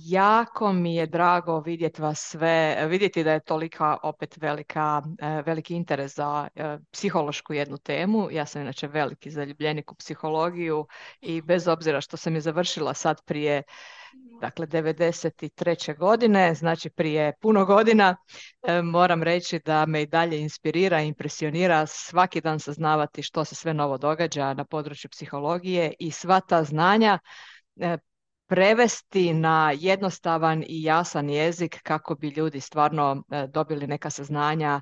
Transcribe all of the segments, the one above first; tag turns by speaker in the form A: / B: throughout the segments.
A: Jako mi je drago vidjeti vas sve, vidjeti da je tolika opet veliki interes za psihološku jednu temu. Ja sam inače veliki zaljubljenik u psihologiju i bez obzira što sam je završila sad prije, dakle 93. godine, znači prije puno godina, moram reći da me i dalje inspirira, impresionira svaki dan saznavati što se sve novo događa na području psihologije i sva ta znanja e, prevesti na jednostavan i jasan jezik kako bi ljudi stvarno dobili neka saznanja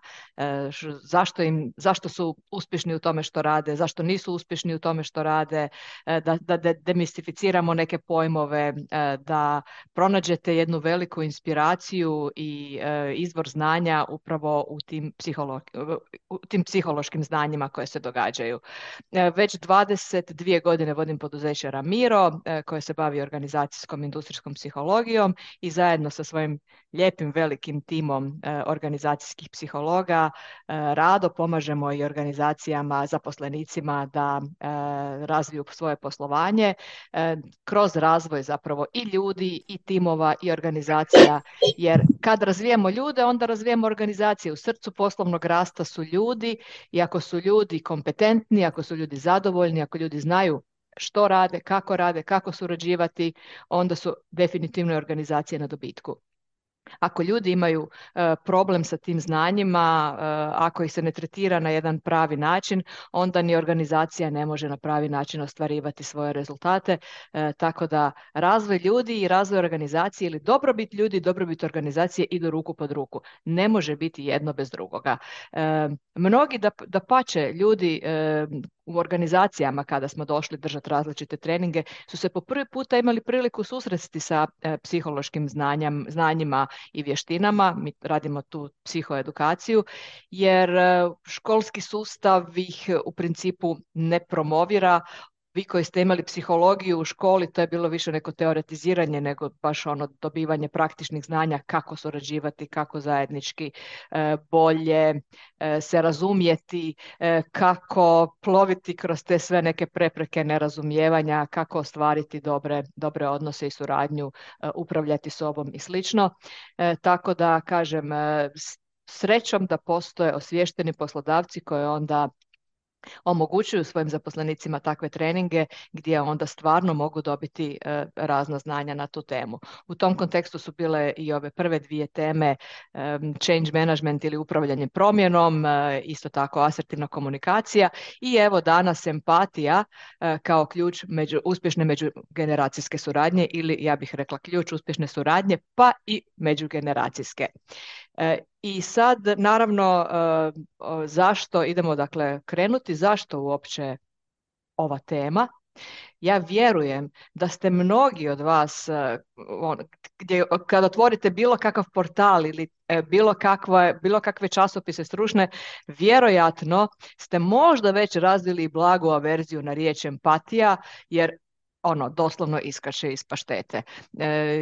A: zašto su uspješni u tome što rade, zašto nisu uspješni u tome što rade, da demistificiramo neke pojmove, da pronađete jednu veliku inspiraciju i izvor znanja upravo u tim psihološkim znanjima koje se događaju. Već 22 godine vodim poduzeće Ramiro koje se bavi organizacijskom industrijskom psihologijom i zajedno sa svojim lijepim velikim timom organizacijskih psihologa rado pomažemo i organizacijama, zaposlenicima da razviju svoje poslovanje kroz razvoj zapravo i ljudi i timova i organizacija, jer kad razvijemo ljude onda razvijemo organizacije. U srcu poslovnog rasta su ljudi i ako su ljudi kompetentni, ako su ljudi zadovoljni, ako ljudi znaju što rade, kako surađivati, onda su definitivno organizacije na dobitku. Ako ljudi imaju problem sa tim znanjima, ako ih se ne tretira na jedan pravi način, onda ni organizacija ne može na pravi način ostvarivati svoje rezultate. Tako da razvoj ljudi i razvoj organizacije ili dobrobit ljudi i dobrobit organizacije idu ruku pod ruku. Ne može biti jedno bez drugoga. Mnogi da pače ljudi u organizacijama kada smo došli držati različite treninge su se po prvi puta imali priliku susresti sa psihološkim znanjima i vještinama. Mi radimo tu psihoedukaciju jer školski sustav ih u principu ne promovira. Vi koji ste imali psihologiju u školi, to je bilo više neko teoretiziranje nego baš ono dobivanje praktičnih znanja kako surađivati, kako zajednički bolje se razumjeti, kako ploviti kroz te sve neke prepreke nerazumijevanja, kako ostvariti dobre odnose i suradnju, upravljati sobom i slično. Tako da kažem, srećom da postoje osviješteni poslodavci koji onda omogućuju svojim zaposlenicima takve treninge gdje onda stvarno mogu dobiti razna znanja na tu temu. U tom kontekstu su bile i ove prve dvije teme, change management ili upravljanje promjenom, isto tako asertivna komunikacija i evo danas empatija kao ključ uspješne međugeneracijske suradnje ili ja bih rekla ključ uspješne suradnje pa i međugeneracijske. I sad, naravno, zašto idemo dakle krenuti, zašto uopće ova tema? Ja vjerujem da ste mnogi od vas, gdje, kad otvorite bilo kakav portal ili bilo kakve časopise stručne, vjerojatno ste možda već razvili blagu averziju na riječ empatija, jer ono doslovno iskače iz paštete.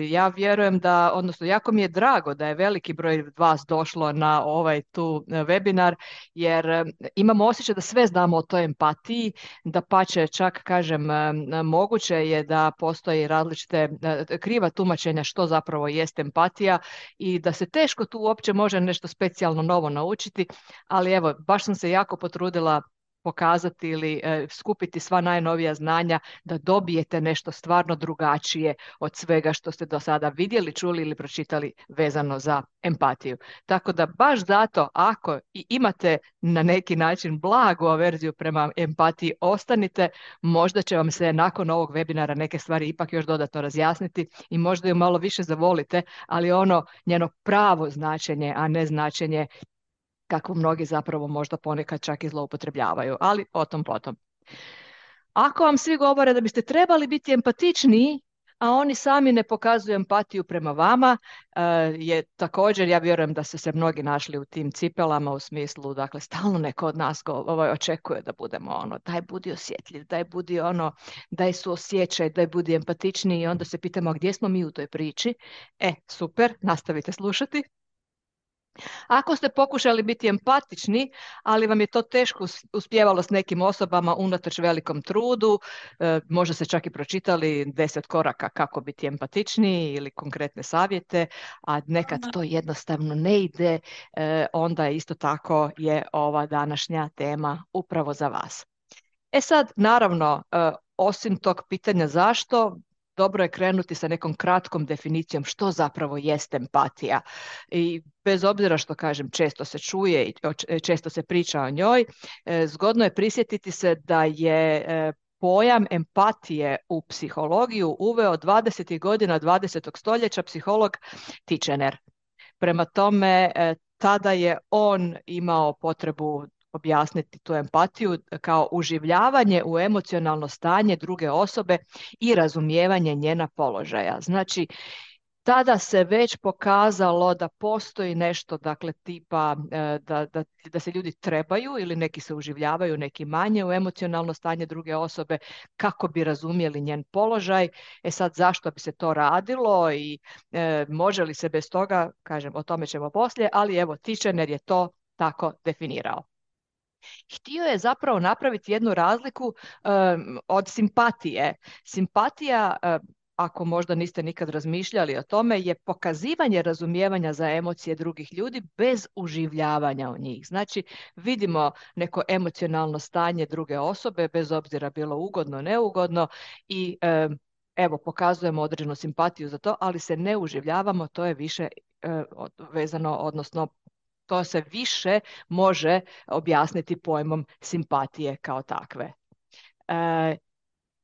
A: Ja vjerujem da, odnosno jako mi je drago da je veliki broj vas došlo na ovaj tu webinar, jer imamo osjećaj da sve znamo o toj empatiji, da pače čak kažem moguće je da postoji različite kriva tumačenja što zapravo jest empatija i da se teško tu uopće može nešto specijalno novo naučiti, ali evo baš sam se jako potrudila pokazati ili skupiti sva najnovija znanja da dobijete nešto stvarno drugačije od svega što ste do sada vidjeli, čuli ili pročitali vezano za empatiju. Tako da baš zato ako i imate na neki način blagu averziju prema empatiji, ostanite, možda će vam se nakon ovog webinara neke stvari ipak još dodatno razjasniti i možda ju malo više zavolite, ali ono njeno pravo značenje, a ne značenje kako mnogi zapravo možda ponekad čak i zloupotrebljavaju, ali o tom potom. Ako vam svi govore da biste trebali biti empatičniji, a oni sami ne pokazuju empatiju prema vama, je također, ja vjerujem da su se mnogi našli u tim cipelama u smislu, dakle, stalno neko od nas očekuje da budemo ono, daj budi osjetljiv, daj budi ono, daj suosjećaj, daj budi empatičniji i onda se pitamo gdje smo mi u toj priči. Super, nastavite slušati. Ako ste pokušali biti empatični, ali vam je to teško uspijevalo s nekim osobama unatoč velikom trudu, možda ste čak i pročitali 10 koraka kako biti empatičniji ili konkretne savjete, a nekad to jednostavno ne ide, onda isto tako je ova današnja tema upravo za vas. E sad, naravno, osim tog pitanja zašto, dobro je krenuti sa nekom kratkom definicijom što zapravo jest empatija. I bez obzira što kažem, često se čuje i često se priča o njoj, zgodno je prisjetiti se da je pojam empatije u psihologiju uveo 20. godina 20. stoljeća psiholog Titchener. Prema tome, tada je on imao potrebu objasniti tu empatiju kao uživljavanje u emocionalno stanje druge osobe i razumijevanje njena položaja. Znači, tada se već pokazalo da postoji nešto, dakle, tipa da se ljudi trebaju ili neki se uživljavaju, neki manje u emocionalno stanje druge osobe kako bi razumjeli njen položaj. E sad, zašto bi se to radilo i može li se bez toga, kažem, o tome ćemo poslije, ali evo, Titchener je to tako definirao. Htio je zapravo napraviti jednu razliku od simpatije. Simpatija, ako možda niste nikad razmišljali o tome, je pokazivanje razumijevanja za emocije drugih ljudi bez uživljavanja u njih. Znači, vidimo neko emocionalno stanje druge osobe, bez obzira bilo ugodno, neugodno, i evo, pokazujemo određenu simpatiju za to, ali se ne uživljavamo, to je više vezano, odnosno to se više može objasniti pojmom simpatije kao takve.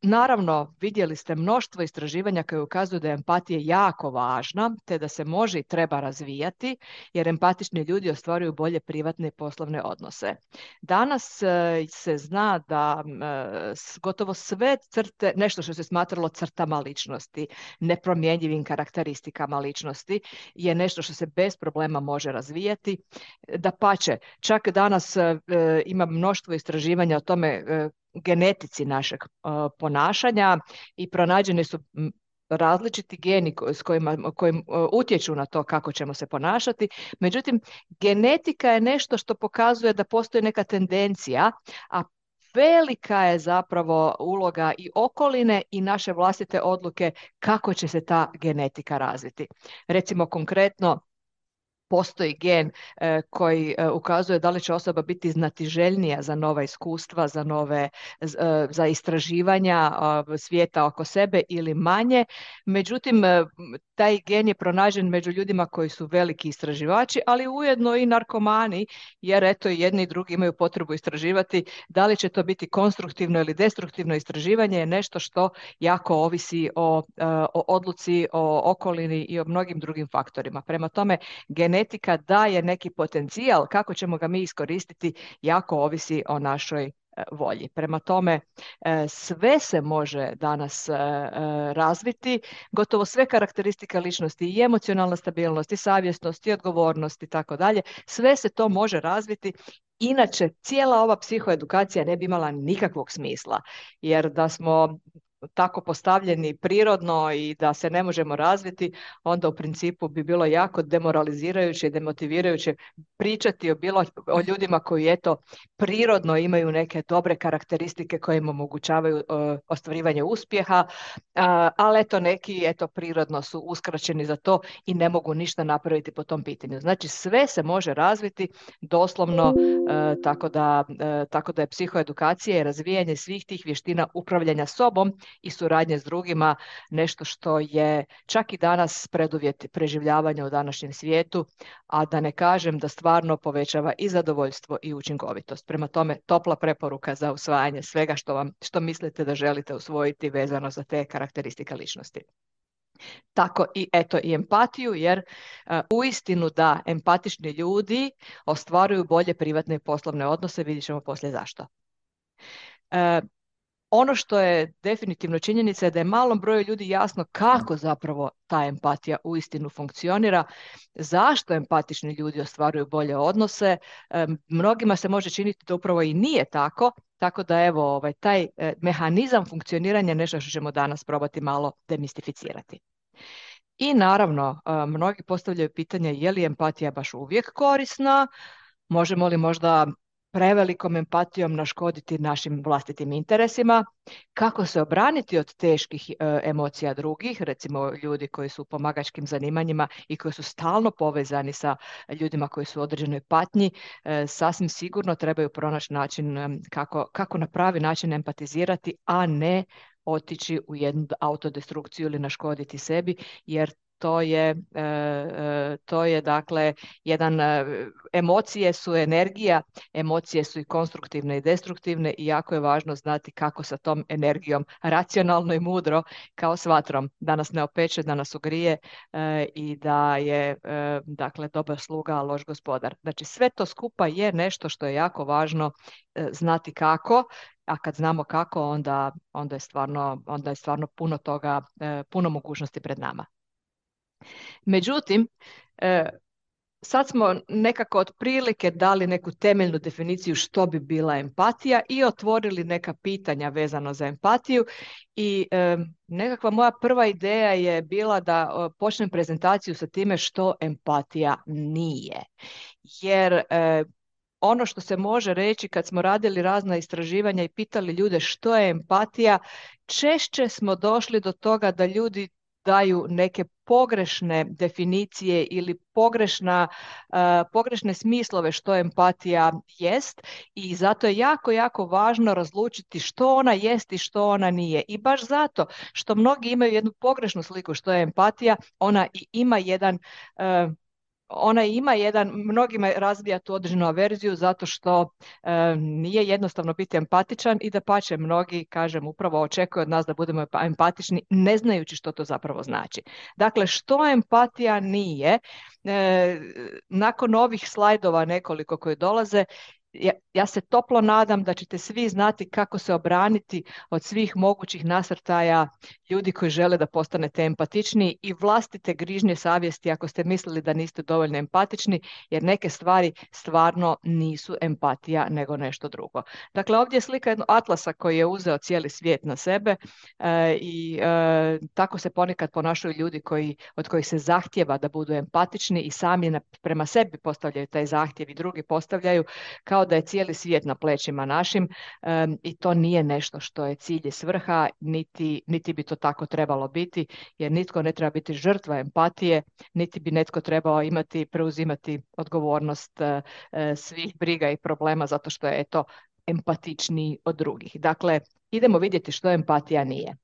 A: Naravno, vidjeli ste mnoštvo istraživanja koje ukazuju da je empatija jako važna, te da se može i treba razvijati, jer empatični ljudi ostvaruju bolje privatne i poslovne odnose. Danas se zna da gotovo sve crte, nešto što se smatralo crtama ličnosti, nepromjenjivim karakteristikama ličnosti, je nešto što se bez problema može razvijati. Dapače, čak danas ima mnoštvo istraživanja o tome, genetici našeg ponašanja, i pronađeni su različiti geni koji utječu na to kako ćemo se ponašati. Međutim, genetika je nešto što pokazuje da postoji neka tendencija, a velika je zapravo uloga i okoline i naše vlastite odluke kako će se ta genetika razviti. Recimo, konkretno, postoji gen koji ukazuje da li će osoba biti znatiželjnija za nova iskustva, za istraživanja svijeta oko sebe ili manje. Međutim, taj gen je pronađen među ljudima koji su veliki istraživači, ali ujedno i narkomani, jer eto, jedni i drugi imaju potrebu istraživati. Da li će to biti konstruktivno ili destruktivno istraživanje je nešto što jako ovisi o odluci, o okolini i o mnogim drugim faktorima. Prema tome, genetika daje neki potencijal, kako ćemo ga mi iskoristiti jako ovisi o našoj volji. Prema tome, sve se može danas razviti, gotovo sve karakteristike ličnosti, i emocionalna stabilnost, i savjesnost, i odgovornost i tako dalje, sve se to može razviti. Inače, cijela ova psihoedukacija ne bi imala nikakvog smisla, jer da smo tako postavljeni prirodno i da se ne možemo razviti, onda u principu bi bilo jako demoralizirajuće i demotivirajuće pričati o ljudima koji eto prirodno imaju neke dobre karakteristike koje im omogućavaju ostvarivanje uspjeha, ali eto neki prirodno su uskraćeni za to i ne mogu ništa napraviti po tom pitanju. Znači, sve se može razviti doslovno, tako da je psihoedukacija i razvijanje svih tih vještina upravljanja sobom i suradnje s drugima nešto što je čak i danas preduvjet preživljavanja u današnjem svijetu, a da ne kažem da stvarno povećava i zadovoljstvo i učinkovitost. Prema tome, topla preporuka za usvajanje svega što mislite da želite usvojiti vezano za te karakteristike ličnosti. Tako i empatiju, jer uistinu da empatični ljudi ostvaruju bolje privatne i poslovne odnose, vidjet ćemo poslije zašto. Ono što je definitivno činjenica je da je malom broju ljudi jasno kako zapravo ta empatija uistinu funkcionira, zašto empatični ljudi ostvaruju bolje odnose. Mnogima se može činiti da upravo i nije tako, tako da evo, taj mehanizam funkcioniranja je nešto što ćemo danas probati malo demistificirati. I naravno, mnogi postavljaju pitanje je li empatija baš uvijek korisna, možemo li možda prevelikom empatijom naškoditi našim vlastitim interesima, kako se obraniti od teških emocija drugih, recimo ljudi koji su u pomagačkim zanimanjima i koji su stalno povezani sa ljudima koji su u određenoj patnji, sasvim sigurno trebaju pronaći način kako na pravi način empatizirati, a ne otići u jednu autodestrukciju ili naškoditi sebi, jer to je dakle jedan, emocije su energija, emocije su i konstruktivne i destruktivne i jako je važno znati kako sa tom energijom racionalno i mudro kao s vatrom da nas ne opeče, da nas ugrije i da je dakle dobar sluga, a loš gospodar. Znači sve to skupa je nešto što je jako važno znati kako, a kad znamo kako onda je stvarno puno toga, puno mogućnosti pred nama. Međutim, sad smo nekako otprilike dali neku temeljnu definiciju što bi bila empatija i otvorili neka pitanja vezano za empatiju i nekakva moja prva ideja je bila da počnem prezentaciju sa time što empatija nije. Jer ono što se može reći kad smo radili razna istraživanja i pitali ljude što je empatija, češće smo došli do toga da ljudi daju neke pogrešne definicije ili pogrešne smislove što empatija jest i zato je jako, jako važno razlučiti što ona jest i što ona nije. I baš zato što mnogi imaju jednu pogrešnu sliku što je empatija, ona ima jedan, mnogima razvija tu određenu averziju zato što nije jednostavno biti empatičan i dapače mnogi, kažem, upravo očekuju od nas da budemo empatični ne znajući što to zapravo znači. Dakle, što empatija nije, nakon ovih slajdova nekoliko koji dolaze, ja se toplo nadam da ćete svi znati kako se obraniti od svih mogućih nasrtaja ljudi koji žele da postanete empatični i vlastite grižnje savjesti ako ste mislili da niste dovoljno empatični, jer neke stvari stvarno nisu empatija nego nešto drugo. Dakle, ovdje je slika jednog atlasa koji je uzeo cijeli svijet na sebe i tako se ponekad ponašaju ljudi od kojih se zahtjeva da budu empatični i sami prema sebi postavljaju taj zahtjev i drugi postavljaju kao da je cijeli svijet na plećima našim i to nije nešto što je cilj i svrha, niti bi to tako trebalo biti, jer nitko ne treba biti žrtva empatije, niti bi netko trebao preuzimati odgovornost svih briga i problema zato što je empatičniji od drugih. Dakle, idemo vidjeti što empatija nije.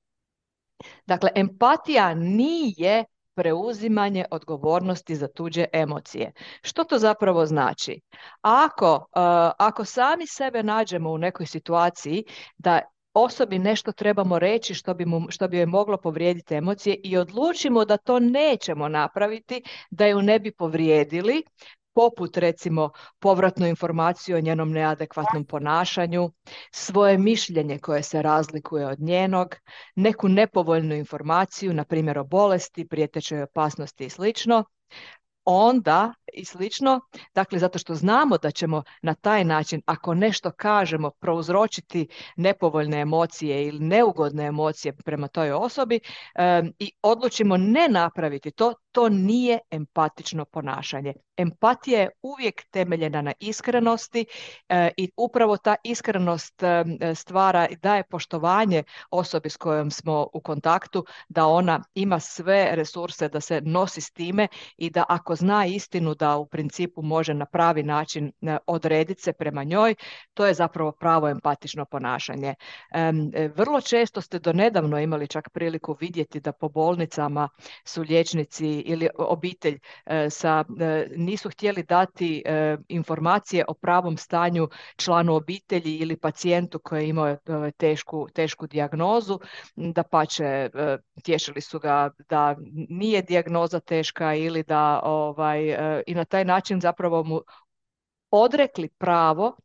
A: Dakle, empatija nije preuzimanje odgovornosti za tuđe emocije. Što to zapravo znači? Ako sami sebe nađemo u nekoj situaciji da osobi nešto trebamo reći što bi joj moglo povrijediti emocije i odlučimo da to nećemo napraviti, da ju ne bi povrijedili, poput recimo povratnu informaciju o njenom neadekvatnom ponašanju, svoje mišljenje koje se razlikuje od njenog, neku nepovoljnu informaciju, na primjer o bolesti, prijetećoj opasnosti i slično, onda i slično, dakle zato što znamo da ćemo na taj način, ako nešto kažemo, prouzročiti nepovoljne emocije ili neugodne emocije prema toj osobi i odlučimo ne napraviti to nije empatično ponašanje. Empatija je uvijek temeljena na iskrenosti i upravo ta iskrenost stvara i daje poštovanje osobi s kojom smo u kontaktu, da ona ima sve resurse da se nosi s time i da ako zna istinu da u principu može na pravi način odrediti se prema njoj, to je zapravo pravo empatično ponašanje. Vrlo često ste donedavno imali čak priliku vidjeti da po bolnicama su liječnici ili obitelj nisu htjeli dati informacije o pravom stanju članu obitelji ili pacijentu koji je imao tešku dijagnozu, dapače tješili su ga da nije dijagnoza teška ili da i na taj način zapravo mu odrekli pravo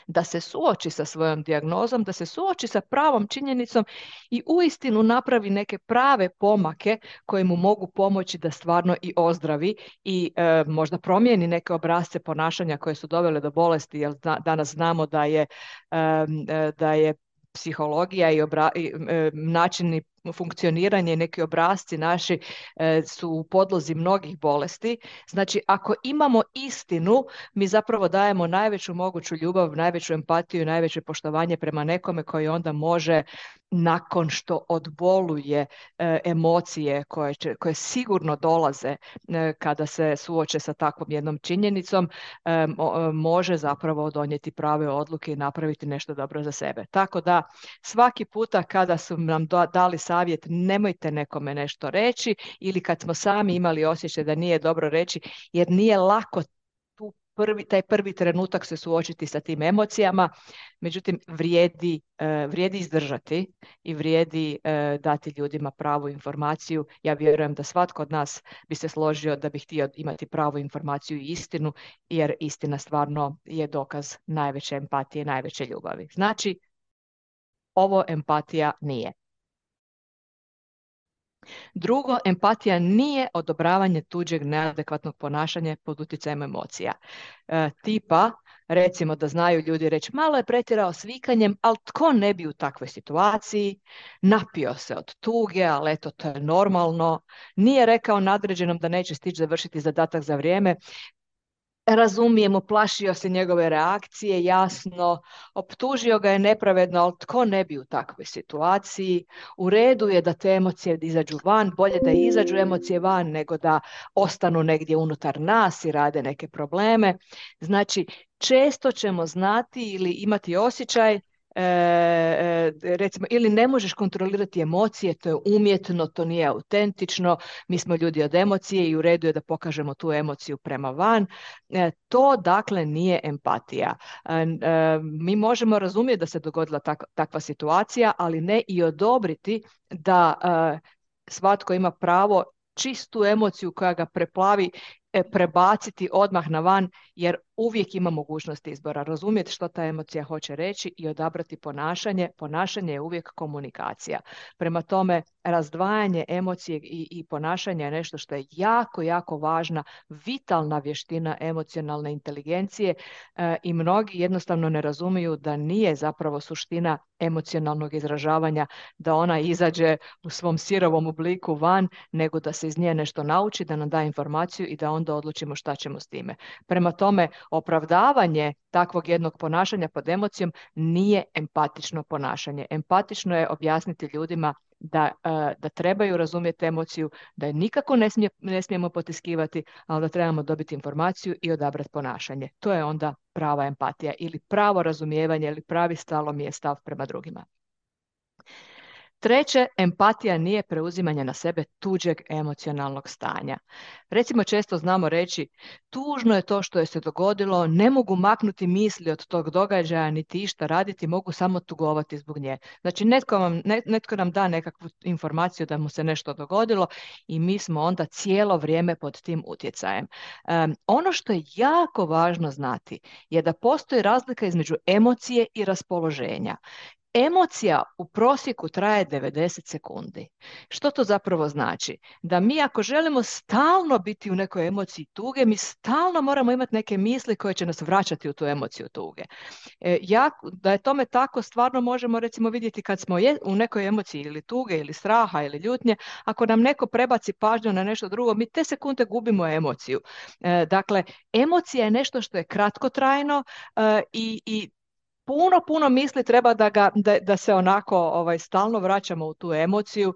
A: da se suoči sa svojom dijagnozom, da se suoči sa pravom činjenicom i uistinu napravi neke prave pomake koje mu mogu pomoći da stvarno i ozdravi i možda promijeni neke obrasce ponašanja koje su dovele do bolesti, jer danas znamo da je psihologija i načini funkcioniranje i neki obrasci naši su u podlozi mnogih bolesti. Znači, ako imamo istinu, mi zapravo dajemo najveću moguću ljubav, najveću empatiju, najveće poštovanje prema nekome koji onda može, nakon što odboluje emocije koje sigurno dolaze kada se suoče sa takvom jednom činjenicom, može zapravo donijeti prave odluke i napraviti nešto dobro za sebe. Tako da svaki puta kada su nam dali savjet nemojte nekome nešto reći, ili kad smo sami imali osjećaj da nije dobro reći, jer nije lako taj prvi trenutak se suočiti sa tim emocijama, međutim vrijedi izdržati i vrijedi dati ljudima pravu informaciju. Ja vjerujem da svatko od nas bi se složio da bi htio imati pravu informaciju i istinu, jer istina stvarno je dokaz najveće empatije, najveće ljubavi. Znači, ovo empatija nije. Drugo, empatija nije odobravanje tuđeg neadekvatnog ponašanja pod utjecajem emocija. Tipa, recimo da znaju ljudi reći, malo je pretjerao s vikanjem, ali tko ne bi u takvoj situaciji, napio se od tuge, ali eto, to je normalno, nije rekao nadređenom da neće stići završiti zadatak za vrijeme, razumijemo, plašio se njegove reakcije, jasno, optužio ga je nepravedno, ali tko ne bi u takvoj situaciji, u redu je da te emocije izađu van, bolje da izađu emocije van nego da ostanu negdje unutar nas i rade neke probleme. Znači, često ćemo znati ili imati osjećaj recimo, ili ne možeš kontrolirati emocije, to je umjetno, to nije autentično, mi smo ljudi od emocije i u redu je da pokažemo tu emociju prema van. To dakle nije empatija. Mi možemo razumjeti da se dogodila takva situacija, ali ne i odobriti da svatko ima pravo čistu emociju koja ga preplavi prebaciti odmah na van, jer uvijek ima mogućnost izbora. Razumjeti što ta emocija hoće reći i odabrati ponašanje. Ponašanje je uvijek komunikacija. Prema tome, razdvajanje emocije i ponašanja je nešto što je jako, jako važna, vitalna vještina emocionalne inteligencije i mnogi jednostavno ne razumiju da nije zapravo suština emocionalnog izražavanja da ona izađe u svom sirovom obliku van, nego da se iz nje nešto nauči, da nam da informaciju i da onda odlučimo šta ćemo s time. Prema tome, opravdavanje takvog jednog ponašanja pod emocijom nije empatično ponašanje. Empatično je objasniti ljudima da trebaju razumjeti emociju, da je nikako ne smijemo potiskivati, ali da trebamo dobiti informaciju i odabrati ponašanje. To je onda prava empatija ili pravo razumijevanje ili pravi stalomije stav prema drugima. Treće, empatija nije preuzimanje na sebe tuđeg emocionalnog stanja. Recimo, često znamo reći, tužno je to što je se dogodilo, ne mogu maknuti misli od tog događaja, niti išta raditi, mogu samo tugovati zbog nje. Znači, netko nam da nekakvu informaciju da mu se nešto dogodilo i mi smo onda cijelo vrijeme pod tim utjecajem. Ono što je jako važno znati je da postoji razlika između emocije i raspoloženja. Emocija u prosjeku traje 90 sekundi. Što to zapravo znači? Da mi ako želimo stalno biti u nekoj emociji tuge, mi stalno moramo imati neke misli koje će nas vraćati u tu emociju tuge. Da je tome tako, stvarno možemo recimo vidjeti kad smo u nekoj emociji ili tuge ili straha ili ljutnje, ako nam neko prebaci pažnju na nešto drugo, mi te sekunde gubimo emociju. Dakle, emocija je nešto što je kratkotrajno i puno misli treba da se onako stalno vraćamo u tu emociju,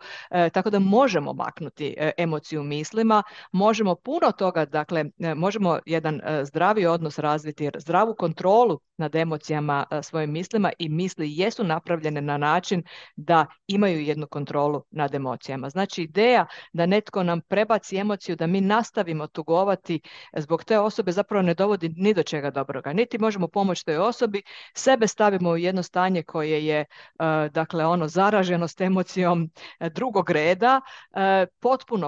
A: tako da možemo maknuti emociju mislima, možemo puno toga, dakle, možemo jedan zdravi odnos razviti, zdravu kontrolu nad emocijama svojim mislima i misli jesu napravljene na način da imaju jednu kontrolu nad emocijama. Znači, ideja da netko nam prebaci emociju, da mi nastavimo tugovati zbog te osobe zapravo ne dovodi ni do čega dobroga. Niti možemo pomoći toj osobi, sebe stavimo u jedno stanje koje je dakle zaraženo s emocijom drugog reda,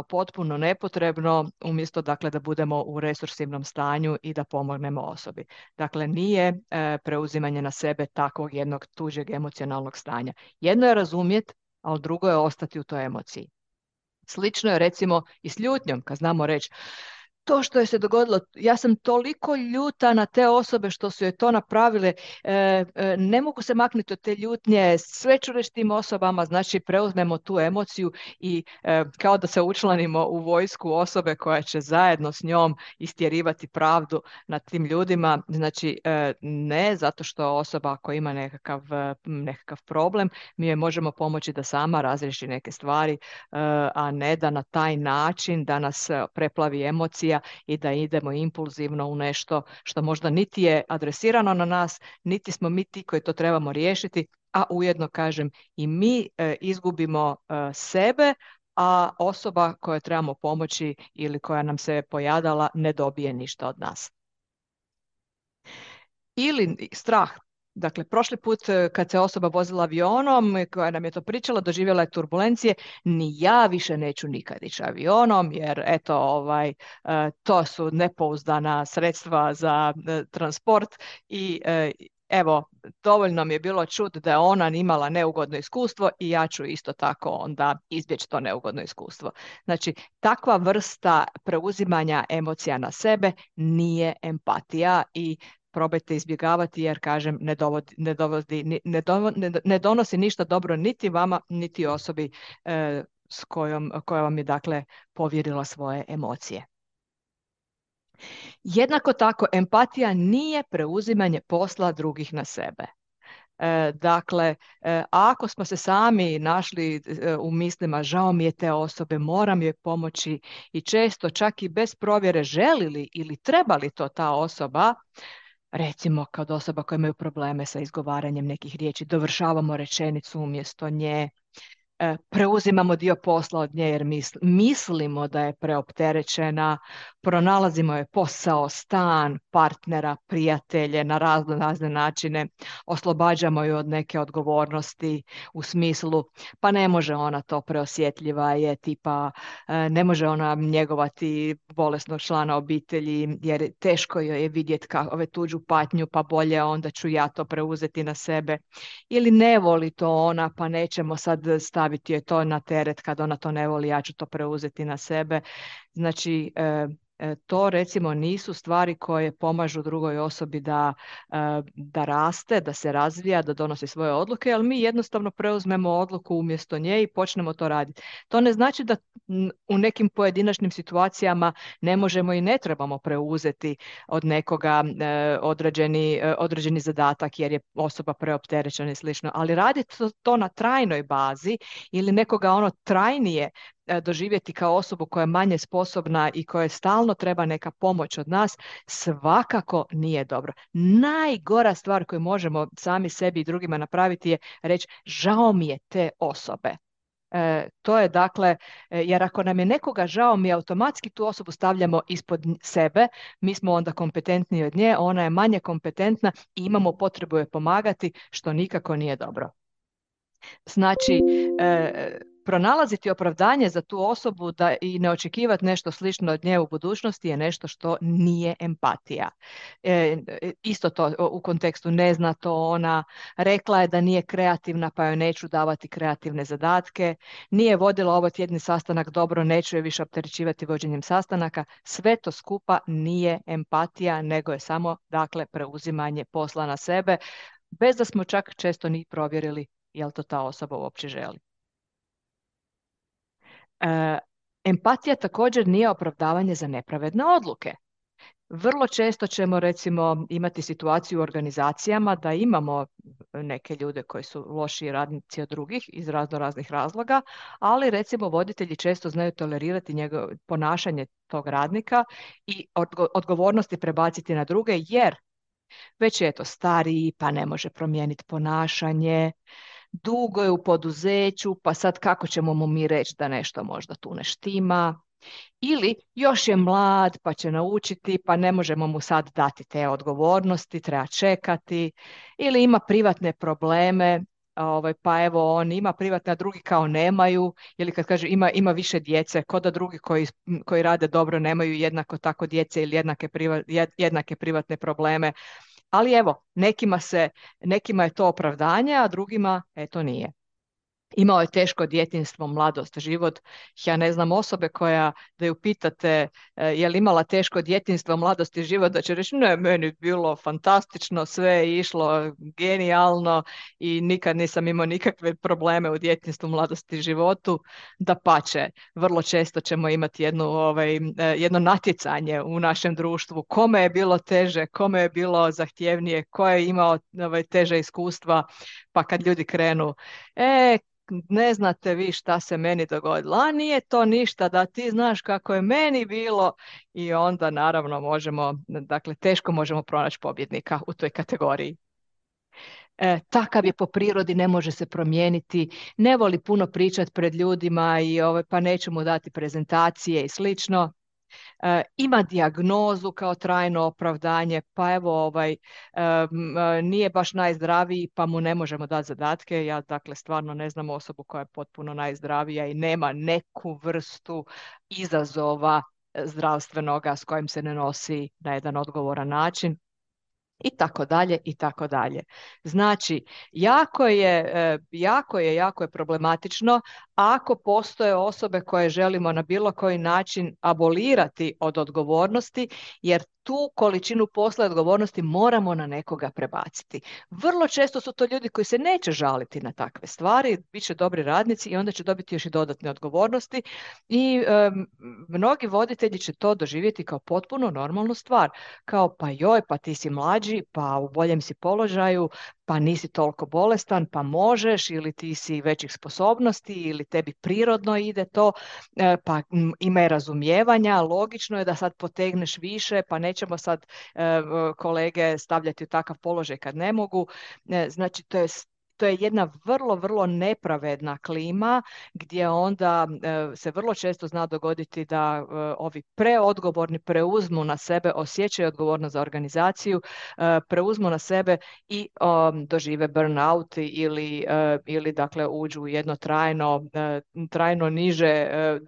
A: potpuno nepotrebno, umjesto dakle da budemo u resursivnom stanju i da pomognemo osobi. Dakle, nije preuzimanje na sebe takvog jednog tuđeg emocionalnog stanja. Jedno je razumjeti, ali drugo je ostati u toj emociji. Slično je recimo i s ljutnjom, kad znamo reći to što je se dogodilo, ja sam toliko ljuta na te osobe što su je to napravile, ne mogu se maknuti od te ljutnje, sve ću reći tim osobama, znači preuzmemo tu emociju i kao da se učlanimo u vojsku osobe koja će zajedno s njom istjerivati pravdu nad tim ljudima, znači ne zato što osoba koja ima nekakav problem, mi joj možemo pomoći da sama razriješi neke stvari, a ne da na taj način da nas preplavi emocija i da idemo impulzivno u nešto što možda niti je adresirano na nas, niti smo mi ti koji to trebamo riješiti, a ujedno kažem i mi izgubimo sebe, a osoba kojoj trebamo pomoći ili koja nam se pojadala ne dobije ništa od nas. Ili strah. Dakle, prošli put kad se osoba vozila avionom, koja nam je to pričala, doživjela je turbulencije, ni ja više neću nikad ići avionom, jer eto, to su nepouzdana sredstva za transport i evo, dovoljno mi je bilo čuti da je ona imala neugodno iskustvo i ja ću isto tako onda izbjeći to neugodno iskustvo. Znači, takva vrsta preuzimanja emocija na sebe nije empatija i probajte izbjegavati jer, kažem, ne donosi ništa dobro niti vama, niti osobi koja vam je, dakle, povjerila svoje emocije. Jednako tako, empatija nije preuzimanje posla drugih na sebe. Dakle, ako smo se sami našli u mislima, žao mi je te osobe, moram joj pomoći i često čak i bez provjere želi li ili treba li to ta osoba, recimo kao osoba koja imaju probleme sa izgovaranjem nekih riječi, dovršavamo rečenicu umjesto nje, preuzimamo dio posla od nje jer mislimo da je preopterećena, pronalazimo je posao, stan, partnera, prijatelje na razne načine, oslobađamo ju od neke odgovornosti u smislu pa ne može ona, to preosjetljiva je, tipa ne može ona njegovati bolesnog člana obitelji jer teško joj je vidjeti ove tuđu patnju, pa bolje onda ću ja to preuzeti na sebe. Ili ne voli to ona, pa nećemo sad staviti joj to na teret, kad ona to ne voli, ja ću to preuzeti na sebe. Znači, to recimo nisu stvari koje pomažu drugoj osobi da raste, da se razvija, da donosi svoje odluke, ali mi jednostavno preuzmemo odluku umjesto nje i počnemo to raditi. To ne znači da u nekim pojedinačnim situacijama ne možemo i ne trebamo preuzeti od nekoga određeni zadatak jer je osoba preopterećena i slično, ali raditi to na trajnoj bazi ili nekoga trajnije doživjeti kao osobu koja je manje sposobna i koja stalno treba neka pomoć od nas, svakako nije dobro. Najgora stvar koju možemo sami sebi i drugima napraviti je reći žao mi je te osobe. To je dakle, jer ako nam je nekoga žao, mi automatski tu osobu stavljamo ispod sebe, mi smo onda kompetentniji od nje, ona je manje kompetentna i imamo potrebu je pomagati, što nikako nije dobro. Znači, pronalaziti opravdanje za tu osobu i ne očekivati nešto slično od nje u budućnosti je nešto što nije empatija. Isto to u kontekstu ne zna to ona, rekla je da nije kreativna pa joj neću davati kreativne zadatke, nije vodila ovo tjedni sastanak dobro, neću je više opterećivati vođenjem sastanaka, sve to skupa nije empatija, nego je samo, dakle, preuzimanje posla na sebe, bez da smo čak često ni provjerili jel to ta osoba uopće želi. Empatija također nije opravdavanje za nepravedne odluke. Vrlo često ćemo recimo imati situaciju u organizacijama da imamo neke ljude koji su lošiji radnici od drugih iz raznih razloga, ali recimo voditelji često znaju tolerirati ponašanje tog radnika i odgovornosti prebaciti na druge jer već je to stariji pa ne može promijeniti ponašanje, dugo je u poduzeću, pa sad kako ćemo mu mi reći da nešto možda tu ne štima, ili još je mlad pa će naučiti, pa ne možemo mu sad dati te odgovornosti, treba čekati, ili ima privatne probleme, pa evo on ima privatne, a drugi kao nemaju, ili kad kaže ima više djece, ko da drugi koji rade dobro nemaju jednako tako djece ili jednake privatne probleme. Ali evo, nekima je to opravdanje, a drugima to nije. Imao je teško djetinjstvo, mladost, život. Ja ne znam osobe koja, da ju pitate je li imala teško djetinjstvo, mladost i život, da će reći ne, meni je bilo fantastično, sve je išlo genijalno i nikad nisam imao nikakve probleme u djetinjstvu, mladosti i životu. Dapače, vrlo često ćemo imati jedno natjecanje u našem društvu. Kome je bilo teže, kome je bilo zahtjevnije, ko je imao teže iskustva, pa kad ljudi krenu e, ne znate vi šta se meni dogodilo, a nije to ništa, da ti znaš kako je meni bilo i onda naravno možemo, dakle teško možemo pronaći pobjednika u toj kategoriji. Takav je po prirodi, ne može se promijeniti, ne voli puno pričati pred ljudima i pa neću mu dati prezentacije i slično. Ima dijagnozu kao trajno opravdanje, pa evo nije baš najzdraviji pa mu ne možemo dati zadatke. Ja dakle stvarno ne znam osobu koja je potpuno najzdravija i nema neku vrstu izazova zdravstvenoga s kojim se ne nosi na jedan odgovoran način. I tako dalje, i tako dalje. Znači, jako je problematično ako postoje osobe koje želimo na bilo koji način abolirati od odgovornosti, jer tu količinu posla i odgovornosti moramo na nekoga prebaciti. Vrlo često su to ljudi koji se neće žaliti na takve stvari, bit će dobri radnici i onda će dobiti još i dodatne odgovornosti i mnogi voditelji će to doživjeti kao potpuno normalnu stvar. Kao pa joj, pa ti si mlađi, pa u boljem si položaju, pa nisi toliko bolestan, pa možeš, ili ti si većih sposobnosti, ili tebi prirodno ide to, pa ima razumijevanja, logično je da sad potegneš više, pa nećemo sad kolege stavljati u takav položaj kad ne mogu. Znači, to je jedna vrlo, vrlo nepravedna klima gdje onda se vrlo često zna dogoditi da ovi preodgovorni preuzmu na sebe, osjećaju odgovornost za organizaciju, preuzmu na sebe i dožive burnout ili dakle uđu u jedno trajno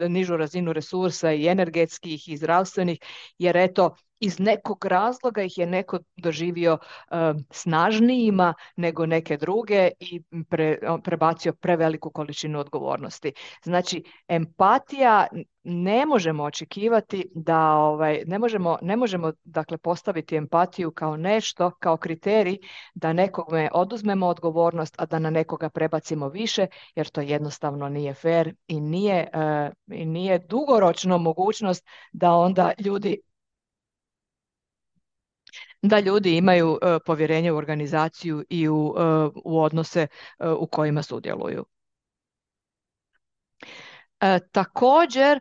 A: nižu razinu resursa i energetskih i zdravstvenih, jer eto, iz nekog razloga ih je neko doživio snažnijima nego neke druge i prebacio preveliku količinu odgovornosti. Znači, empatija ne možemo očekivati da ne možemo dakle postaviti empatiju kao nešto, kao kriterij da nekome oduzmemo odgovornost, a da na nekoga prebacimo više, jer to jednostavno nije fer i nije dugoročno mogućnost da onda ljudi imaju povjerenje u organizaciju i u odnose u kojima sudjeluju. Također,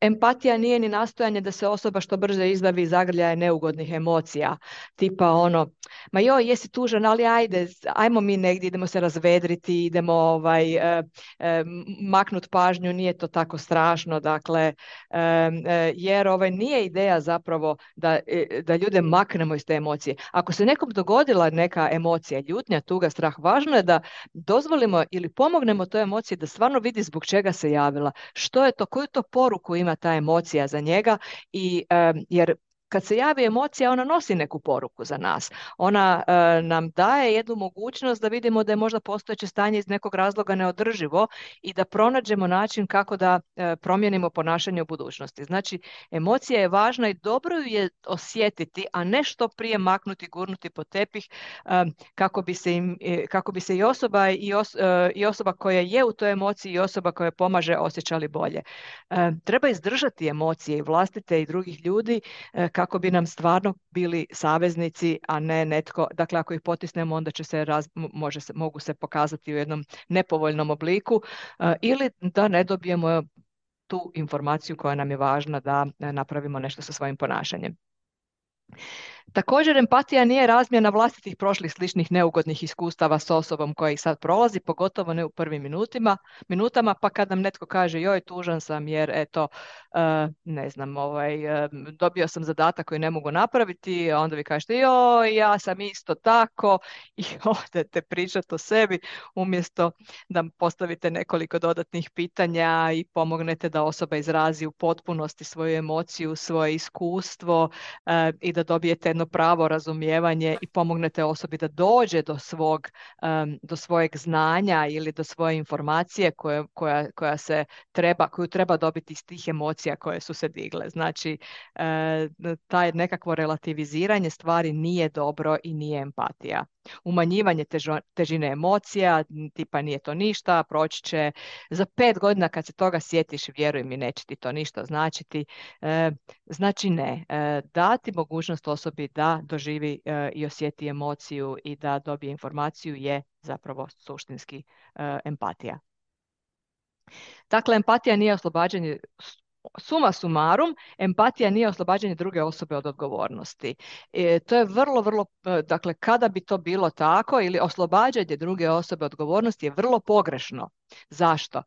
A: empatija nije ni nastojanje da se osoba što brže izbavi iz zagrljaja neugodnih emocija, tipa ma joj, jesi tužan, ali ajmo mi negdje, idemo se razvedriti, idemo maknut pažnju, nije to tako strašno, dakle, jer nije ideja zapravo da ljude maknemo iz te emocije. Ako se nekom dogodila neka emocija, ljutnja, tuga, strah, važno je da dozvolimo ili pomognemo toj emociji da stvarno vidi zbog čega se javila, što je to, koju to poruku ima ta emocija za njega jer kad se javi emocija, ona nosi neku poruku za nas. Ona nam daje jednu mogućnost da vidimo da je možda postojeće stanje iz nekog razloga neodrživo i da pronađemo način kako da promijenimo ponašanje u budućnosti. Znači, emocija je važna i dobro ju je osjetiti, a ne što prije maknuti, gurnuti pod tepih kako bi se i osoba koja je u toj emociji i osoba koja pomaže osjećali bolje. Treba izdržati emocije i vlastite i drugih ljudi kako bi nam stvarno bili saveznici, a ne netko, dakle ako ih potisnemo onda će mogu se pokazati u jednom nepovoljnom obliku ili da ne dobijemo tu informaciju koja nam je važna da napravimo nešto sa svojim ponašanjem. Također, empatija nije razmjena vlastitih prošlih sličnih neugodnih iskustava s osobom koja ih sad prolazi, pogotovo ne u prvim minutama, pa kad nam netko kaže joj, tužan sam jer eto, ne znam, dobio sam zadatak koji ne mogu napraviti, a onda vi kažete joj, ja sam isto tako i odete pričati o sebi umjesto da postavite nekoliko dodatnih pitanja i pomognete da osoba izrazi u potpunosti svoju emociju, svoje iskustvo i da dobijete jedno jedno pravo razumijevanje i pomognete osobi da dođe do svojeg znanja ili do svoje informacije koju treba dobiti iz tih emocija koje su se digle. Znači, taj nekakvo relativiziranje stvari nije dobro i nije empatija. Umanjivanje težine emocija, tipa nije to ništa, proći će za 5 godina kad se toga sjetiš, vjeruj mi, neće ti to ništa značiti. Znači ne, dati mogućnost osobi da doživi i osjeti emociju i da dobije informaciju je zapravo suštinski empatija. Dakle, empatija nije oslobađanje, suma sumarum, empatija nije oslobađanje druge osobe od odgovornosti. To je vrlo, dakle, kada bi to bilo tako ili oslobađanje druge osobe od odgovornosti je vrlo pogrešno. Zašto?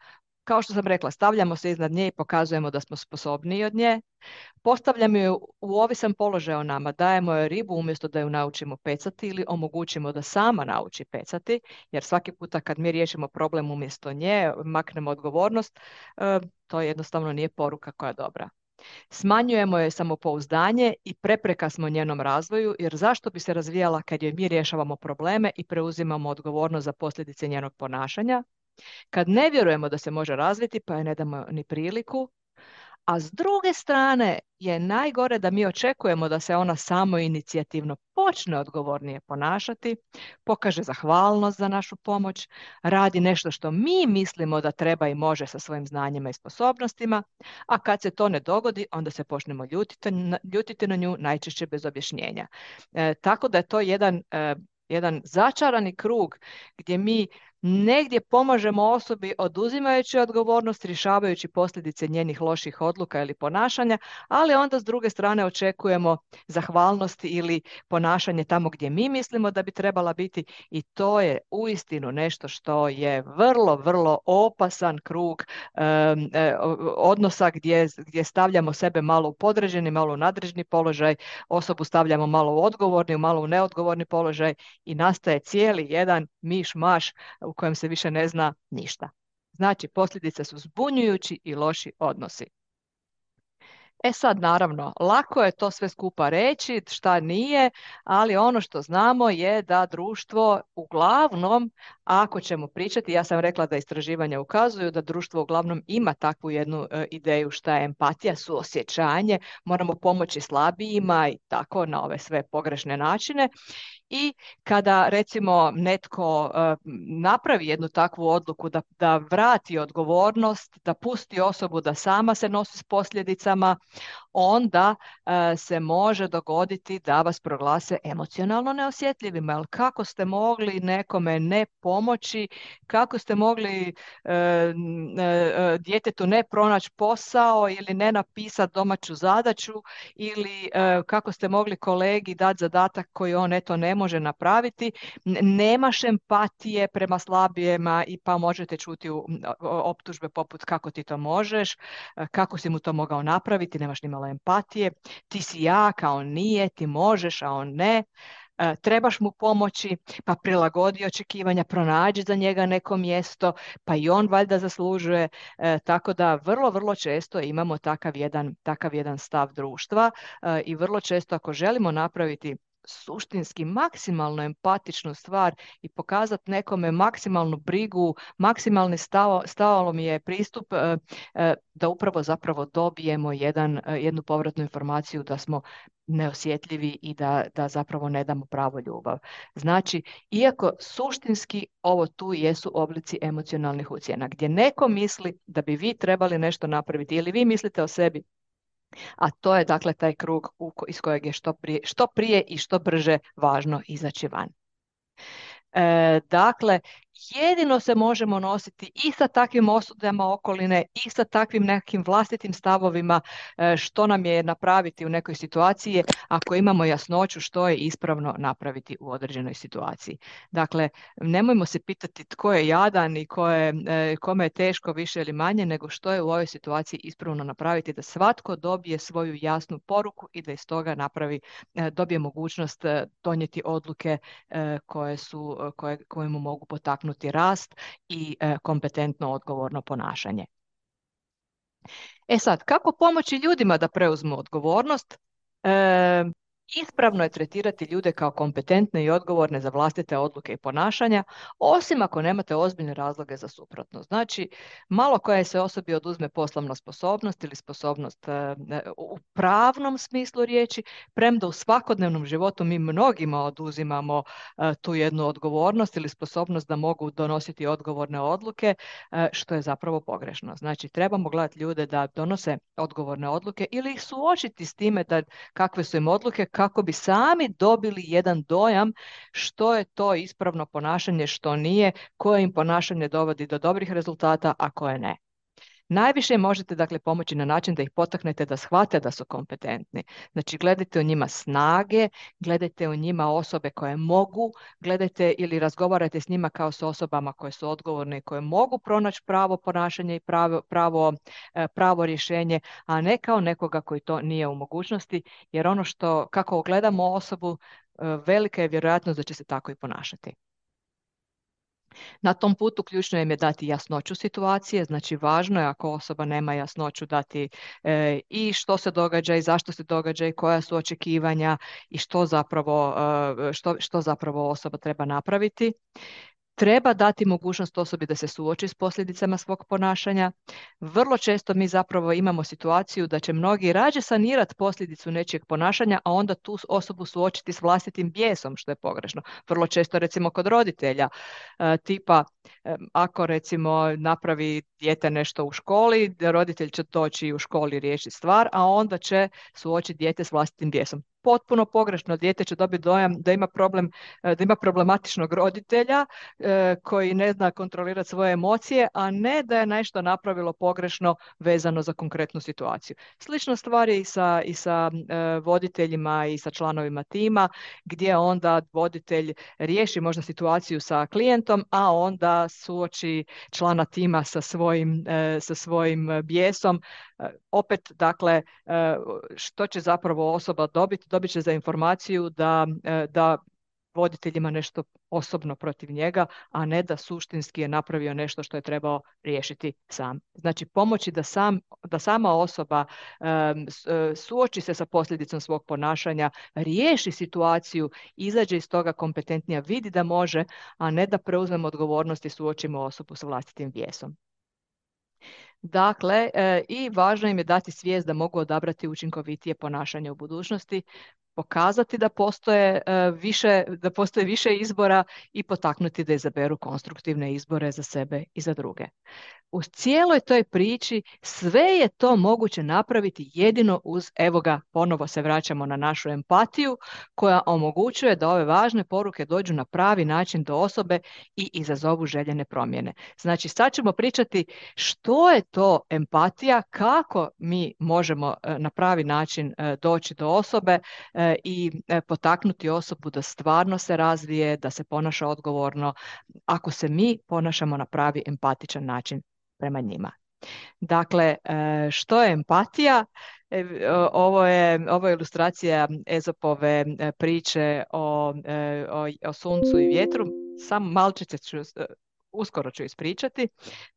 A: Kao što sam rekla, stavljamo se iznad nje i pokazujemo da smo sposobniji od nje. Postavljamo ju u ovisan položaj o nama, dajemo joj ribu umjesto da ju naučimo pecati ili omogućimo da sama nauči pecati, jer svaki puta kad mi riješimo problem umjesto nje, maknemo odgovornost, to jednostavno nije poruka koja je dobra. Smanjujemo joj samopouzdanje i prepreka smo njenom razvoju, jer zašto bi se razvijala kad joj mi rješavamo probleme i preuzimamo odgovornost za posljedice njenog ponašanja? Kad ne vjerujemo da se može razviti, pa joj ne damo ni priliku, a s druge strane je najgore da mi očekujemo da se ona samoinicijativno počne odgovornije ponašati, pokaže zahvalnost za našu pomoć, radi nešto što mi mislimo da treba i može sa svojim znanjima i sposobnostima, a kad se to ne dogodi, onda se počnemo ljutiti na nju, najčešće bez objašnjenja. Tako da je to jedan začarani krug gdje mi negdje pomažemo osobi oduzimajući odgovornost, rješavajući posljedice njenih loših odluka ili ponašanja, ali onda s druge strane očekujemo zahvalnost ili ponašanje tamo gdje mi mislimo da bi trebala biti, i to je uistinu nešto što je vrlo opasan krug odnosa gdje stavljamo sebe malo u podređeni, malo u nadređeni položaj, osobu stavljamo malo u odgovorni, malo u neodgovorni položaj i nastaje cijeli jedan miš-maš u kojem se više ne zna ništa. Znači, posljedice su zbunjujući i loši odnosi. E sad, naravno, lako je to sve skupa reći, šta nije, ali ono što znamo je da društvo uglavnom, ako ćemo pričati, ja sam rekla da istraživanja ukazuju da društvo uglavnom ima takvu jednu ideju šta je empatija, suosjećanje, moramo pomoći slabijima i tako na ove sve pogrešne načine. I kada recimo netko napravi jednu takvu odluku da vrati odgovornost, da pusti osobu da sama se nosi s posljedicama, onda se može dogoditi da vas proglase emocionalno neosjetljivima. Jer kako ste mogli nekome ne pomoći, kako ste mogli djetetu ne pronaći posao ili ne napisati domaću zadaću ili kako ste mogli kolegi dati zadatak koji on eto ne može napraviti. Nemaš empatije prema slabijima i pa možete čuti optužbe poput kako ti to možeš, kako si mu to mogao napraviti, nemaš ni malo empatije, ti si jak, a on nije, ti možeš, a on ne, trebaš mu pomoći, pa prilagodi očekivanja, pronađi za njega neko mjesto, pa i on valjda zaslužuje, tako da vrlo često imamo takav jedan stav društva i vrlo često ako želimo napraviti suštinski maksimalno empatičnu stvar i pokazati nekome maksimalnu brigu, maksimalni stalo mi je pristup da upravo zapravo dobijemo jednu povratnu informaciju da smo neosjetljivi i da zapravo ne damo pravu ljubav. Znači, iako suštinski ovo tu jesu oblici emocionalnih ucjena, gdje neko misli da bi vi trebali nešto napraviti ili vi mislite o sebi, a to je dakle taj krug iz kojeg je što prije i što brže važno izaći van. Dakle, jedino se možemo nositi i sa takvim osudama okoline i sa takvim nekim vlastitim stavovima što nam je napraviti u nekoj situaciji ako imamo jasnoću što je ispravno napraviti u određenoj situaciji. Dakle, nemojmo se pitati tko je jadan i kome je teško više ili manje, nego što je u ovoj situaciji ispravno napraviti da svatko dobije svoju jasnu poruku i da iz toga dobije mogućnost donijeti odluke koje mu mogu potaknuti rast i kompetentno odgovorno ponašanje. E sad, kako pomoći ljudima da preuzmu odgovornost? Ispravno je tretirati ljude kao kompetentne i odgovorne za vlastite odluke i ponašanja, osim ako nemate ozbiljne razloge za suprotno. Znači, malo koje se osobi oduzme poslovna sposobnost ili sposobnost u pravnom smislu riječi, premda u svakodnevnom životu mi mnogima oduzimamo tu jednu odgovornost ili sposobnost da mogu donositi odgovorne odluke, što je zapravo pogrešno. Znači, trebamo gledati ljude da donose odgovorne odluke ili ih suočiti s time da kakve su im odluke, kako bi sami dobili jedan dojam što je to ispravno ponašanje, što nije, koje im ponašanje dovodi do dobrih rezultata, a koje ne. Najviše možete dakle pomoći na način da ih potaknete da shvate da su kompetentni. Znači gledajte u njima snage, gledajte u njima osobe koje mogu, gledajte ili razgovarajte s njima kao s osobama koje su odgovorne i koje mogu pronaći pravo ponašanje i pravo rješenje, a ne kao nekoga koji to nije u mogućnosti, jer ono što, kako gledamo osobu, velika je vjerojatnost da će se tako i ponašati. Na tom putu ključno im je dati jasnoću situacije, znači važno je ako osoba nema jasnoću dati i što se događa i zašto se događa i koja su očekivanja i što zapravo osoba treba napraviti. Treba dati mogućnost osobi da se suoči s posljedicama svog ponašanja. Vrlo često mi zapravo imamo situaciju da će mnogi rađe sanirati posljedicu nečijeg ponašanja, a onda tu osobu suočiti s vlastitim bijesom, što je pogrešno. Vrlo često recimo kod roditelja, tipa ako recimo napravi dijete nešto u školi, roditelj će doći u školi riješiti stvar, a onda će suočiti dijete s vlastitim bijesom. Potpuno pogrešno, dijete će dobiti dojam da ima problem, da ima problematičnog roditelja koji ne zna kontrolirati svoje emocije, a ne da je nešto napravilo pogrešno vezano za konkretnu situaciju. Slična stvar je i sa voditeljima i sa članovima tima, gdje onda voditelj riješi možda situaciju sa klijentom, a onda suoči člana tima sa svojim bijesom. Opet, dakle, što će zapravo osoba dobiti? Dobit će za informaciju da voditelj ima nešto osobno protiv njega, a ne da suštinski je napravio nešto što je trebao riješiti sam. Znači, pomoći da sama osoba suoči se sa posljedicom svog ponašanja, riješi situaciju, izađe iz toga kompetentnija, vidi da može, a ne da preuzmemo odgovornost i suočimo osobu sa vlastitim bijesom. Dakle, i važno im je dati svijest da mogu odabrati učinkovitije ponašanje u budućnosti, pokazati da postoje više izbora i potaknuti da izaberu konstruktivne izbore za sebe i za druge. U cijeloj toj priči sve je to moguće napraviti jedino uz, evo ga, ponovo se vraćamo na našu empatiju koja omogućuje da ove važne poruke dođu na pravi način do osobe i izazovu željene promjene. Znači, sad ćemo pričati što je to empatija, kako mi možemo na pravi način doći do osobe i potaknuti osobu da stvarno se razvije, da se ponaša odgovorno, ako se mi ponašamo na pravi empatičan način prema njima. Dakle, što je empatija? Ovo je ilustracija Ezopove priče o suncu i vjetru. Samo malčice uskoro ću ispričati.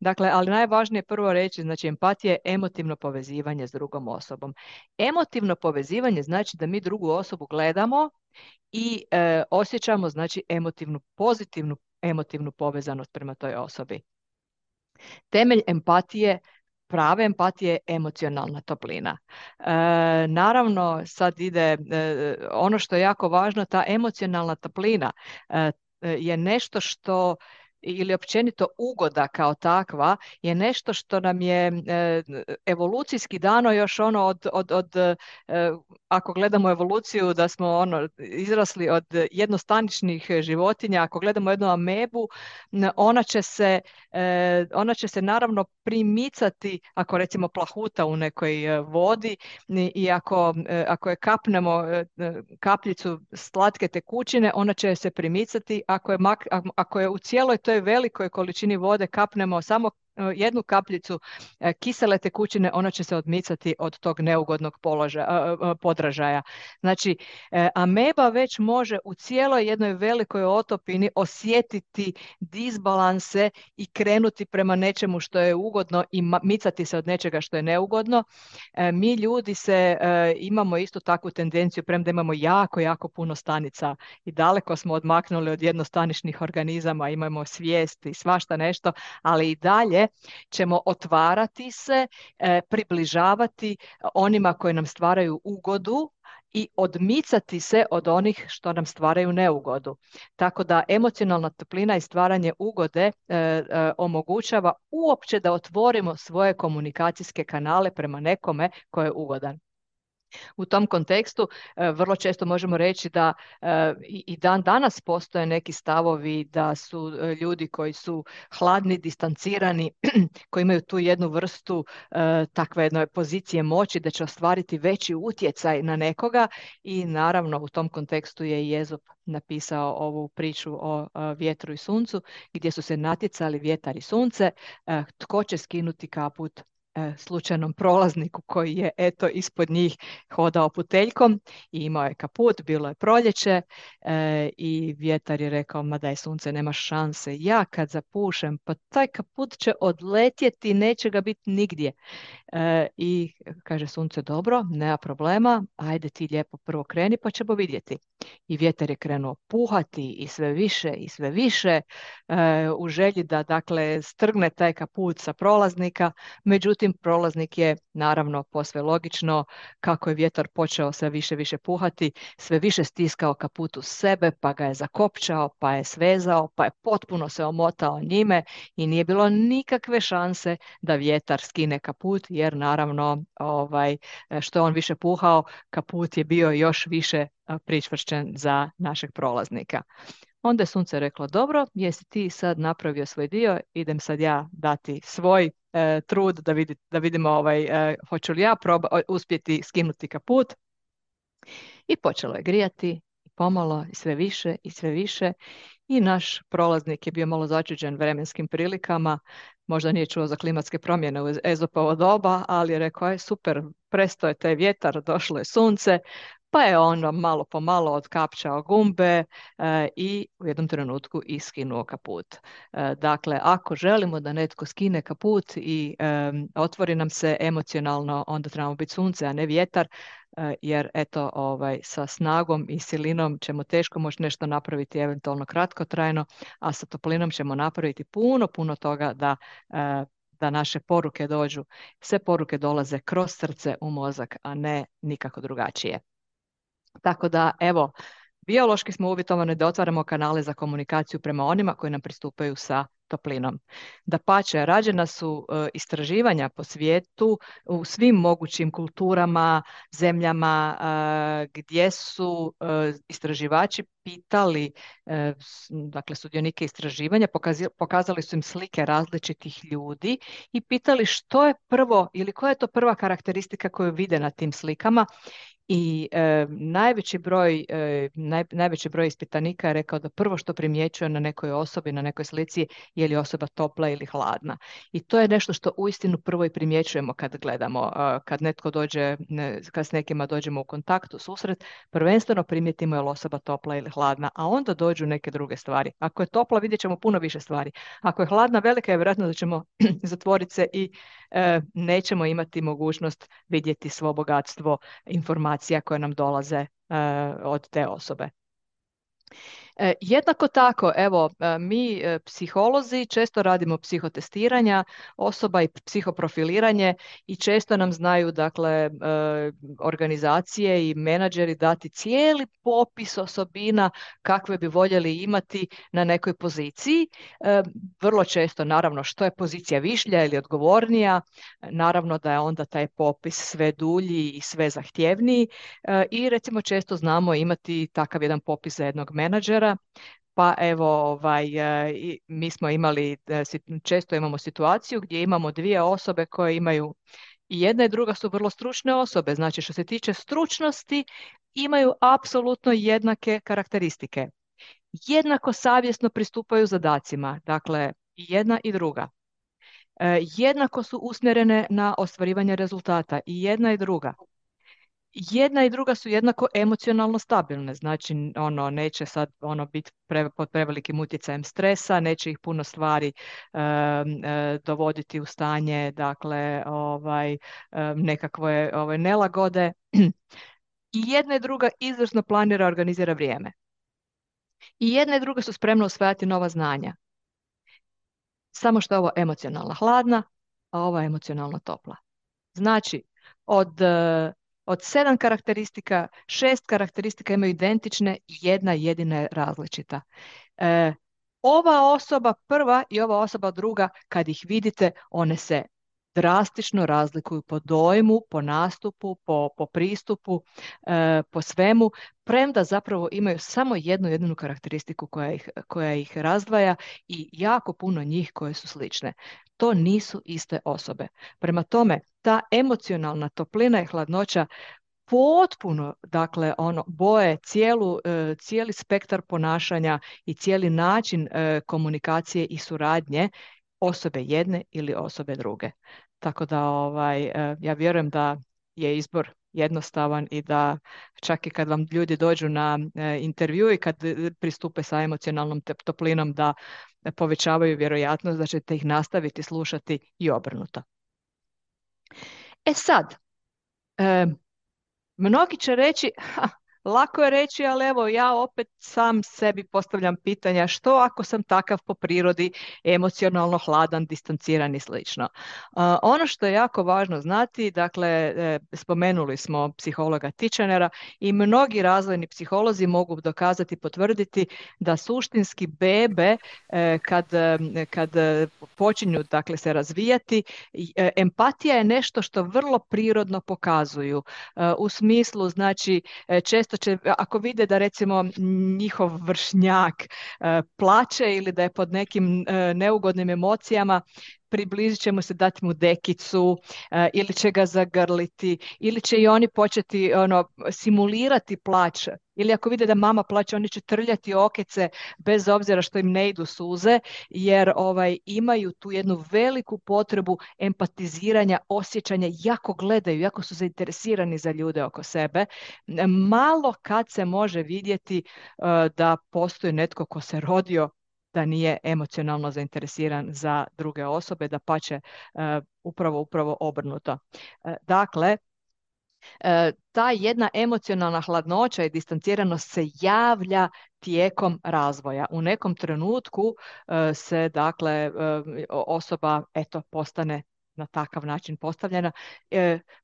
A: Dakle, ali najvažnije prvo reći, znači empatija je emotivno povezivanje s drugom osobom. Emotivno povezivanje znači da mi drugu osobu gledamo i osjećamo, znači, pozitivnu emotivnu povezanost prema toj osobi. Temelj empatije, prave empatije je emocionalna toplina. Naravno, sad ide ono što je jako važno, ta emocionalna toplina je nešto što, ili općenito ugoda kao takva, je nešto što nam je evolucijski dano još ono ako gledamo evoluciju da smo izrasli od jednostaničnih životinja, ako gledamo jednu amebu, ona će se naravno primicati ako recimo plahuta u nekoj vodi i ako je kapnemo kapljicu slatke tekućine, ona će se primicati. Ako je u cijeloj toj velikoj količini vode kapnemo samo jednu kapljicu kisele tekućine, ona će se odmicati od tog neugodnog podražaja. Znači, ameba već može u cijeloj jednoj velikoj otopini osjetiti disbalanse i krenuti prema nečemu što je ugodno i micati se od nečega što je neugodno. Mi ljudi imamo isto takvu tendenciju, premda imamo jako, jako puno stanica i daleko smo odmaknuli od jednostaničnih organizama, imamo svijest i svašta nešto, ali i dalje ćemo otvarati se, približavati onima koji nam stvaraju ugodu i odmicati se od onih što nam stvaraju neugodu. Tako da emocionalna toplina i stvaranje ugode omogućava uopće da otvorimo svoje komunikacijske kanale prema nekome ko je ugodan. U tom kontekstu vrlo često možemo reći da i dan danas postoje neki stavovi da su ljudi koji su hladni, distancirani, koji imaju tu jednu vrstu takve jedne pozicije moći da će ostvariti veći utjecaj na nekoga i naravno u tom kontekstu je i Ezop napisao ovu priču o vjetru i suncu gdje su se natjecali vjetar i sunce, tko će skinuti kaput slučajnom prolazniku koji je eto ispod njih hodao puteljkom i imao je kaput, bilo je proljeće i vjetar je rekao, ma daj sunce, nemaš šanse, ja kad zapušem, pa taj kaput će odletjeti, neće ga biti nigdje. I kaže sunce, dobro, nema problema, ajde ti lijepo prvo kreni pa ćemo vidjeti. I vjetar je krenuo puhati i sve više i sve više u želji da dakle strgne taj kaput sa prolaznika, međutim prolaznik je naravno posve logično kako je vjetar počeo sve više puhati, sve više stiskao kaput u sebe, pa ga je zakopčao, pa je svezao, pa je potpuno se omotao njime i nije bilo nikakve šanse da vjetar skine kaput, jer naravno što je on više puhao, kaput je bio još više pričvršćen za našeg prolaznika. Onda je sunce reklo, dobro, jesi ti sad napravio svoj dio, idem sad ja dati svoj trud da vidimo hoću li ja uspjeti skinuti kaput. I počelo je grijati, pomalo, sve više i sve više. I naš prolaznik je bio malo začuđen vremenskim prilikama, možda nije čuo za klimatske promjene u Ezopovo doba, ali je rekao, je super, prestao je taj vjetar, došlo je sunce, pa je ono malo po malo otkapčao gumbe i u jednom trenutku iskinuo kaput. Dakle, ako želimo da netko skine kaput i otvori nam se emocionalno, onda trebamo biti sunce, a ne vjetar, jer eto, sa snagom i silinom ćemo teško moći nešto napraviti eventualno kratkotrajno, a sa toplinom ćemo napraviti puno toga da naše poruke dođu. Sve poruke dolaze kroz srce u mozak, a ne nikako drugačije. Tako da, evo, biološki smo uvjetovani da otvaramo kanale za komunikaciju prema onima koji nam pristupaju sa toplinom. Dapače, rađena su istraživanja po svijetu u svim mogućim kulturama, zemljama gdje su istraživači pitali dakle sudionike istraživanja, pokazali su im slike različitih ljudi i pitali što je prvo ili koja je to prva karakteristika koju vide na tim slikama. I najveći broj ispitanika je rekao da prvo što primjećuje na nekoj osobi, na nekoj slici, je li osoba topla ili hladna. I to je nešto što uistinu prvo i primjećujemo kad gledamo, kad netko dođe, kad s nekima dođemo u kontakt, u susret, prvenstveno primijetimo je li osoba topla ili hladna, a onda dođu neke druge stvari. Ako je topla, vidjet ćemo puno više stvari. Ako je hladna, velika je vjerojatno da ćemo zatvoriti se i nećemo imati mogućnost vidjeti svo bogatstvo informacija koje nam dolaze od te osobe. Jednako tako, evo, mi psiholozi često radimo psihotestiranja osoba i psihoprofiliranje i često nam znaju, dakle, organizacije i menadžeri dati cijeli popis osobina kakve bi voljeli imati na nekoj poziciji. Vrlo često, naravno, što je pozicija višlja ili odgovornija, naravno da je onda taj popis sve dulji i sve zahtjevniji i recimo često znamo imati takav jedan popis za jednog menadžera. Pa evo, mi smo imali, često imamo situaciju gdje imamo dvije osobe koje imaju, i jedna i druga su vrlo stručne osobe, znači što se tiče stručnosti imaju apsolutno jednake karakteristike. Jednako savjesno pristupaju zadacima, dakle i jedna i druga. jednako su usmjerene na ostvarivanje rezultata i jedna i druga. Jedna i druga su jednako emocionalno stabilne, znači ono neće sad ono biti pod prevelikim utjecajem stresa, neće ih puno stvari dovoditi u stanje, dakle, nekakve nelagode. I jedna i druga izvrsno planira, organizira vrijeme. I jedna i druga su spremne usvajati nova znanja. Samo što je ovo emocionalno hladna, a ova emocionalno topla. Znači, od 7 karakteristika, 6 karakteristika imaju identične i jedna jedina je različita. Ova osoba prva i ova osoba druga, kad ih vidite, one se drastično razlikuju po dojmu, po nastupu, po pristupu, po svemu, premda zapravo imaju samo jednu jedinu karakteristiku koja ih razdvaja i jako puno njih koje su slične. To nisu iste osobe. Prema tome, ta emocionalna toplina i hladnoća potpuno, dakle, boje cijeli spektar ponašanja i cijeli način komunikacije i suradnje osobe jedne ili osobe druge. Tako da ja vjerujem da je izbor jednostavan i da čak i kad vam ljudi dođu na intervju i kad pristupe sa emocionalnom toplinom da povećavaju vjerojatnost da ćete ih nastaviti slušati i obrnuto. E sad, mnogi će reći, lako je reći, ali evo ja opet sam sebi postavljam pitanja što ako sam takav po prirodi, emocionalno hladan, distanciran i slično. Ono što je jako važno znati, dakle, spomenuli smo psihologa Titchenera i mnogi razvojni psiholozi mogu dokazati, potvrditi da suštinski bebe kad počinju, dakle, se razvijati, empatija je nešto što vrlo prirodno pokazuju. U smislu, znači, često će, ako vide da recimo njihov vršnjak plače ili da je pod nekim neugodnim emocijama, približit će mu se, dati mu dekicu ili će ga zagrliti ili će i oni početi simulirati plać. Ili ako vide da mama plače, oni će trljati okece bez obzira što im ne idu suze, jer imaju tu jednu veliku potrebu empatiziranja, osjećanja, jako gledaju, jako su zainteresirani za ljude oko sebe. Malo kad se može vidjeti da postoji netko ko se rodio da nije emocionalno zainteresiran za druge osobe, dapače, upravo obrnuto. Dakle, ta jedna emocionalna hladnoća i distanciranost se javlja tijekom razvoja. U nekom trenutku se, dakle, osoba postane na takav način postavljena.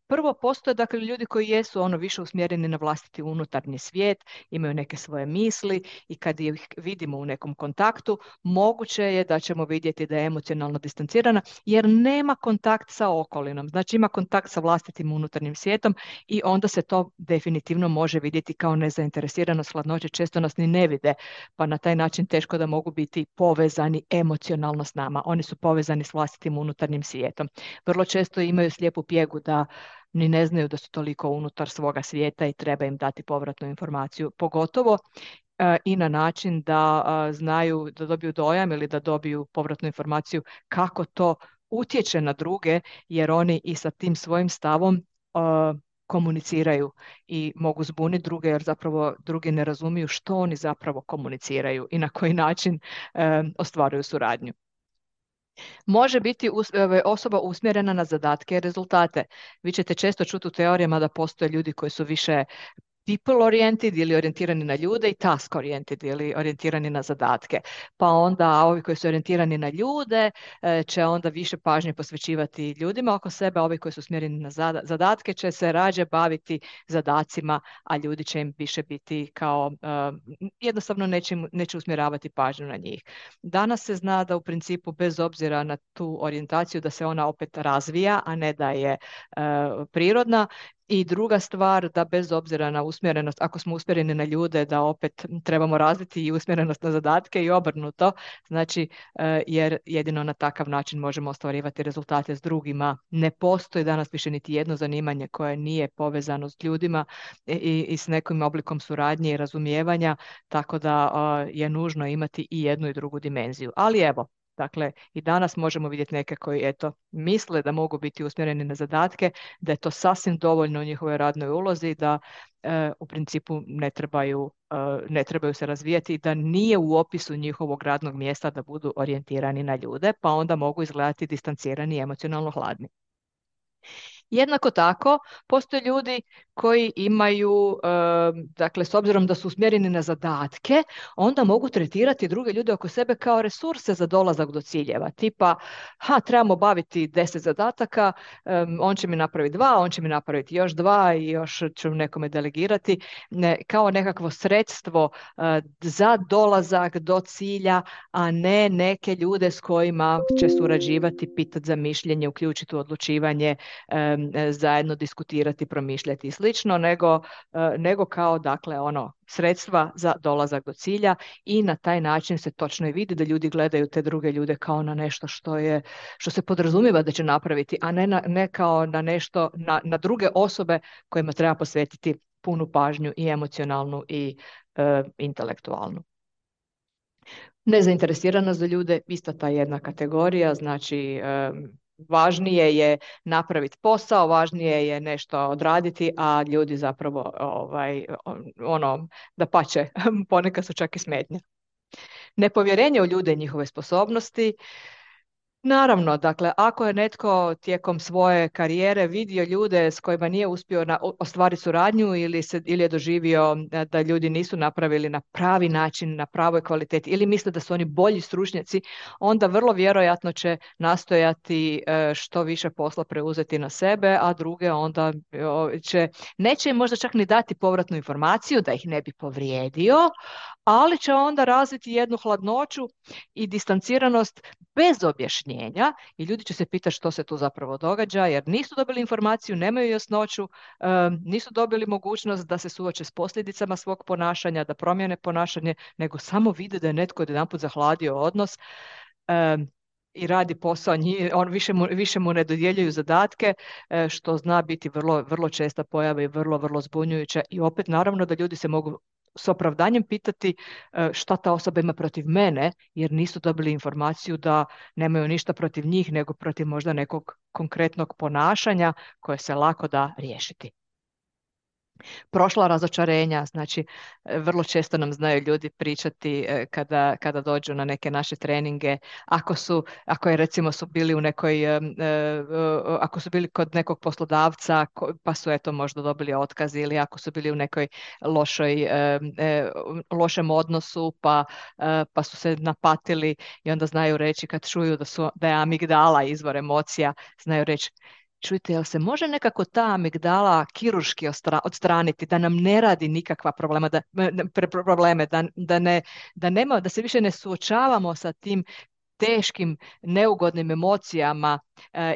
A: Prvo postoje, dakle, ljudi koji jesu više usmjereni na vlastiti unutarnji svijet, imaju neke svoje misli i kad ih vidimo u nekom kontaktu, moguće je da ćemo vidjeti da je emocionalno distancirana jer nema kontakt sa okolinom. Znači ima kontakt sa vlastitim unutarnjim svijetom i onda se to definitivno može vidjeti kao nezainteresiranost, hladnoće, često nas ni ne vide, pa na taj način teško da mogu biti povezani emocionalno s nama. Oni su povezani s vlastitim unutarnjim svijetom. Vrlo često imaju slijepu pjegu da ni ne znaju da su toliko unutar svoga svijeta i treba im dati povratnu informaciju, pogotovo i na način da znaju, da dobiju dojam ili da dobiju povratnu informaciju kako to utječe na druge, jer oni i sa tim svojim stavom komuniciraju i mogu zbuniti druge, jer zapravo drugi ne razumiju što oni zapravo komuniciraju i na koji način ostvaruju suradnju. Može biti osoba usmjerena na zadatke i rezultate. Vi ćete često čuti u teorijama da postoje ljudi koji su više people oriented ili orijentirani na ljude i task oriented ili orijentirani na zadatke. Pa onda ovi koji su orijentirani na ljude će onda više pažnje posvećivati ljudima oko sebe, a ovi koji su usmjereni na zadatke će se rađe baviti zadacima, a ljudi će im više biti kao jednostavno neće usmjeravati pažnju na njih. Danas se zna da u principu bez obzira na tu orijentaciju da se ona opet razvija, a ne da je prirodna. I druga stvar, da bez obzira na usmjerenost, ako smo usmjereni na ljude, da opet trebamo razviti i usmjerenost na zadatke i obrnuto, znači jer jedino na takav način možemo ostvarivati rezultate s drugima. Ne postoji danas više niti jedno zanimanje koje nije povezano s ljudima i s nekim oblikom suradnje i razumijevanja, tako da je nužno imati i jednu i drugu dimenziju. Ali evo, Dakle, i danas možemo vidjeti neke koji eto misle da mogu biti usmjereni na zadatke, da je to sasvim dovoljno u njihovoj radnoj ulozi, da u principu ne trebaju se razvijati, da nije u opisu njihovog radnog mjesta da budu orijentirani na ljude, pa onda mogu izgledati distancirani i emocionalno hladni. Jednako tako, postoje ljudi koji imaju, dakle, s obzirom da su usmjereni na zadatke, onda mogu tretirati druge ljude oko sebe kao resurse za dolazak do ciljeva. Tipa, trebamo baviti 10 zadataka, on će mi napraviti 2, on će mi napraviti još 2 i još ću nekome delegirati, kao nekakvo sredstvo za dolazak do cilja, a ne neke ljude s kojima će surađivati, pitati za mišljenje, uključiti u odlučivanje, zajedno diskutirati, promišljati i slično, nego kao dakle sredstva za dolazak do cilja i na taj način se točno i vidi da ljudi gledaju te druge ljude kao na nešto što se podrazumijeva da će napraviti, a ne kao na nešto, na druge osobe kojima treba posvetiti punu pažnju i emocionalnu i intelektualnu. Nezainteresiranost za ljude, ista ta jedna kategorija, znači važnije je napraviti posao, važnije je nešto odraditi, a ljudi zapravo dapače, ponekad su čak i smetnje. Nepovjerenje u ljude i njihove sposobnosti. Naravno, dakle, ako je netko tijekom svoje karijere vidio ljude s kojima nije uspio ostvariti suradnju ili je doživio da ljudi nisu napravili na pravi način, na pravoj kvaliteti ili misle da su oni bolji stručnjaci, onda vrlo vjerojatno će nastojati što više posla preuzeti na sebe, a druge onda neće im možda čak ni dati povratnu informaciju da ih ne bi povrijedio, ali će onda razviti jednu hladnoću i distanciranost bez objašnjenja i ljudi će se pitati što se tu zapravo događa jer nisu dobili informaciju, nemaju jasnoću, nisu dobili mogućnost da se suoče s posljedicama svog ponašanja, da promijene ponašanje, nego samo vide da je netko jedanput zahladio odnos i radi posao, on više mu ne dodjeljuju zadatke, što zna biti vrlo, vrlo česta pojava i vrlo, vrlo zbunjujuća i opet naravno da ljudi se mogu s opravdanjem pitati šta ta osoba ima protiv mene, jer nisu dobili informaciju da nemaju ništa protiv njih, nego protiv možda nekog konkretnog ponašanja koje se lako da riješiti. Prošla razočarenja, znači vrlo često nam znaju ljudi pričati kada dođu na neke naše treninge, ako je recimo su bili u nekoj, ako su bili kod nekog poslodavca pa su eto možda dobili otkaz ili ako su bili u nekoj lošem odnosu pa su se napatili i onda znaju reći kad čuju da je amigdala izvor emocija, znaju reći čujte, jel se može nekako ta amigdala kirurški odstraniti, da nam ne radi nikakva probleme, da se više ne suočavamo sa tim teškim, neugodnim emocijama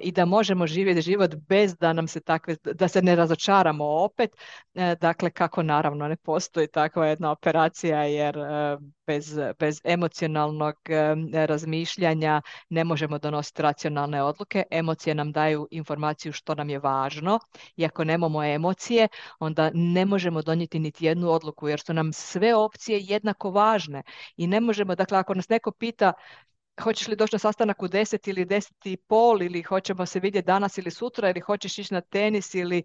A: i da možemo živjeti život bez da nam se da se ne razočaramo opet. Dakle, kako naravno ne postoji takva jedna operacija jer bez emocionalnog razmišljanja ne možemo donositi racionalne odluke. Emocije nam daju informaciju što nam je važno i ako nemamo emocije, onda ne možemo donijeti niti jednu odluku jer su nam sve opcije jednako važne i ne možemo, dakle, ako nas neko pita hoćeš li doći na sastanak u 10 ili 10:30 ili hoćemo se vidjeti danas ili sutra ili hoćeš ići na tenis ili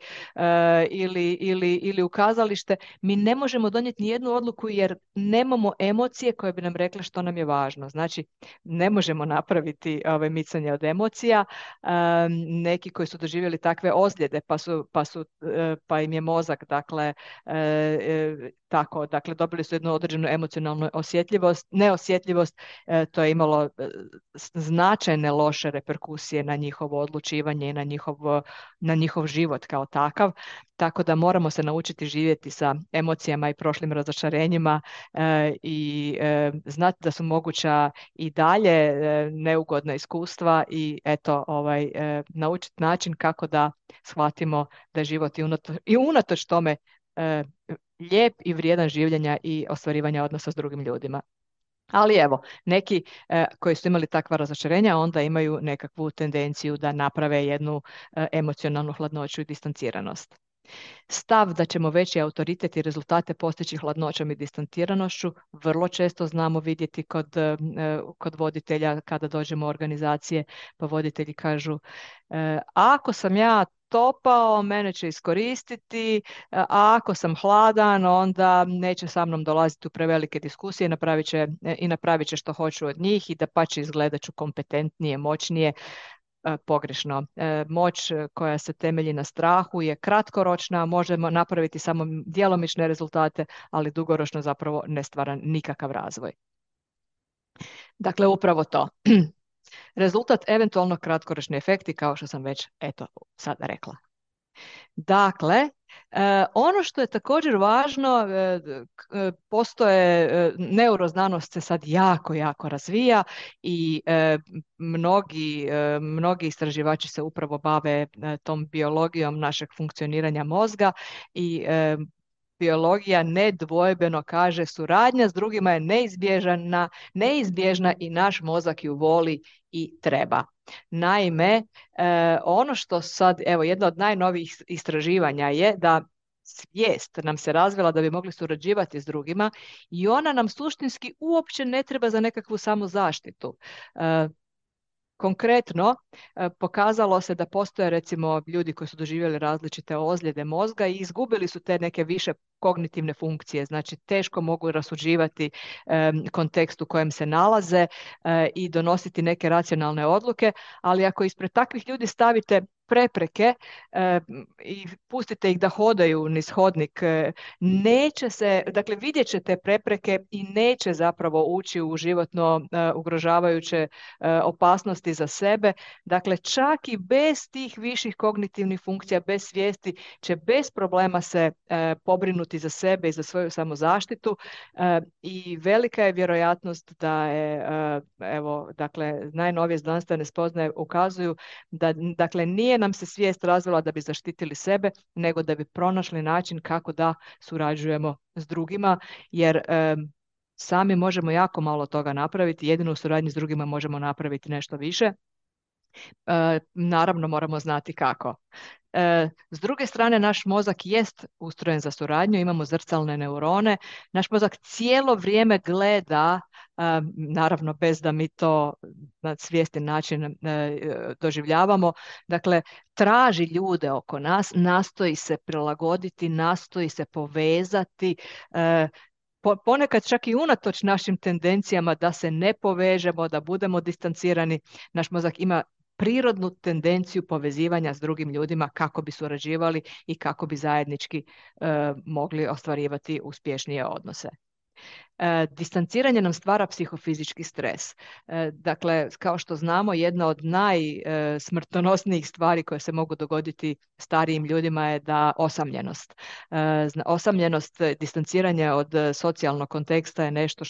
A: u kazalište, mi ne možemo donijeti ni jednu odluku jer nemamo emocije koje bi nam rekle što nam je važno. Znači, ne možemo napraviti micanje od emocija. Neki koji su doživjeli takve ozljede pa im je mozak dakle dobili su jednu određenu emocionalnu neosjetljivost, to je imalo značajne loše reperkusije na njihovo odlučivanje i na njihov život kao takav. Tako da moramo se naučiti živjeti sa emocijama i prošlim razočarenjima i znati da su moguća i dalje neugodna iskustva i eto naučiti način kako da shvatimo da je život i unatoč tome lijep i vrijedan življenja i ostvarivanja odnosa s drugim ljudima. Ali evo, neki koji su imali takva razočarenja onda imaju nekakvu tendenciju da naprave jednu emocionalnu hladnoću i distanciranost. Stav da ćemo veći autoritet i rezultate postići hladnoćom i distantiranošću vrlo često znamo vidjeti kod voditelja kada dođemo u organizacije, pa voditelji kažu ako sam ja topao, mene će iskoristiti, a ako sam hladan, onda neće sa mnom dolaziti u prevelike diskusije i napravit će što hoću od njih i da pa će izgledat ću kompetentnije, moćnije. Pogrešno. Moć koja se temelji na strahu je kratkoročna, možemo napraviti samo djelomične rezultate, ali dugoročno zapravo ne stvara nikakav razvoj. Dakle, upravo to. Rezultat eventualno kratkoročni efekti, kao što sam već sada rekla. Dakle, ono što je također važno, postoje, neuroznanost se sad jako razvija i mnogi istraživači se upravo bave tom biologijom našeg funkcioniranja mozga i biologija nedvojbeno kaže suradnja s drugima je neizbježna i naš mozak ju voli i treba. Naime, ono što sad, jedno od najnovijih istraživanja je da svijest nam se razvila da bi mogli surađivati s drugima i ona nam suštinski uopće ne treba za nekakvu samozaštitu. Konkretno, pokazalo se da postoje recimo ljudi koji su doživjeli različite ozljede mozga i izgubili su te neke više kognitivne funkcije, znači teško mogu rasuđivati kontekst u kojem se nalaze i donositi neke racionalne odluke, ali ako ispred takvih ljudi stavite prepreke i pustite ih da hodaju niz hodnik, neće se, dakle vidjet će te prepreke i neće zapravo ući u životno ugrožavajuće opasnosti za sebe. Dakle, čak i bez tih viših kognitivnih funkcija, bez svijesti, će bez problema se pobrinuti za sebe i za svoju samozaštitu i velika je vjerojatnost da je, dakle, najnovije znanstvene spoznaje ukazuju da, dakle, nije nam se svijest razvila da bi zaštitili sebe, nego da bi pronašli način kako da surađujemo s drugima, jer sami možemo jako malo toga napraviti, jedino u suradnji s drugima možemo napraviti nešto više. Naravno moramo znati kako. S druge strane, naš mozak jest ustrojen za suradnju, imamo zrcalne neurone, naš mozak cijelo vrijeme gleda, naravno bez da mi to na svjestan način doživljavamo, dakle traži ljude oko nas, nastoji se prilagoditi, nastoji se povezati, ponekad čak i unatoč našim tendencijama da se ne povežemo, da budemo distancirani, naš mozak ima prirodnu tendenciju povezivanja s drugim ljudima kako bi surađivali i kako bi zajednički mogli ostvarivati uspješnije odnose. Distanciranje nam stvara psihofizički stres. Dakle, kao što znamo, jedna od najsmrtonosnijih stvari koje se mogu dogoditi starijim ljudima je da osamljenost. Osamljenost, distanciranje od socijalnog konteksta je nešto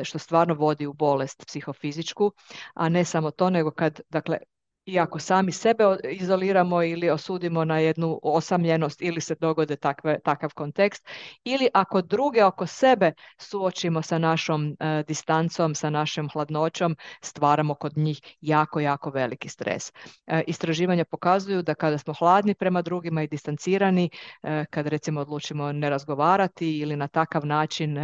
A: što stvarno vodi u bolest psihofizičku, a ne samo to, nego kad, dakle, i ako sami sebe izoliramo ili osudimo na jednu osamljenost ili se dogode takav kontekst, ili ako druge oko sebe suočimo sa našom distancom, sa našom hladnoćom, stvaramo kod njih jako veliki stres. Istraživanja pokazuju da kada smo hladni prema drugima i distancirani, kad recimo odlučimo ne razgovarati ili na takav način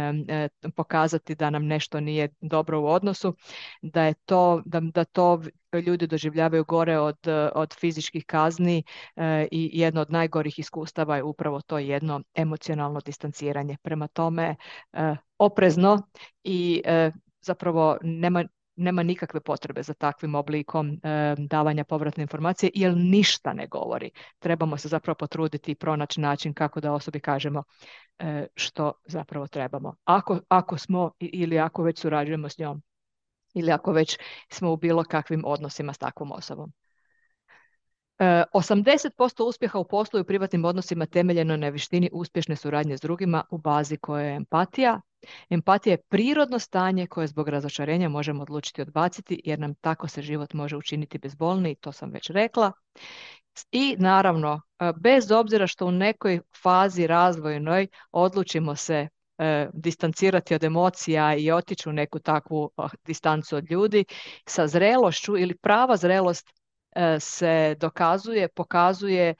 A: pokazati da nam nešto nije dobro u odnosu, da to ljudi doživljavaju gore od fizičkih kazni i jedno od najgorih iskustava je upravo to jedno emocionalno distanciranje. Prema tome, oprezno i zapravo nema nikakve potrebe za takvim oblikom davanja povratne informacije, jer ništa ne govori. Trebamo se zapravo potruditi i pronaći način kako da osobi kažemo što zapravo trebamo. Ako smo ili ako već surađujemo s njom, ili ako već smo u bilo kakvim odnosima s takvom osobom. 80% uspjeha u poslu i u privatnim odnosima temeljeno na vještini uspješne suradnje s drugima u bazi koja je empatija. Empatija je prirodno stanje koje zbog razočarenja možemo odlučiti odbaciti, jer nam tako se život može učiniti bezbolniji, to sam već rekla. I naravno, bez obzira što u nekoj fazi razvojnoj odlučimo se distancirati od emocija i otići u neku takvu distancu od ljudi, sa zrelošću ili prava zrelost se pokazuje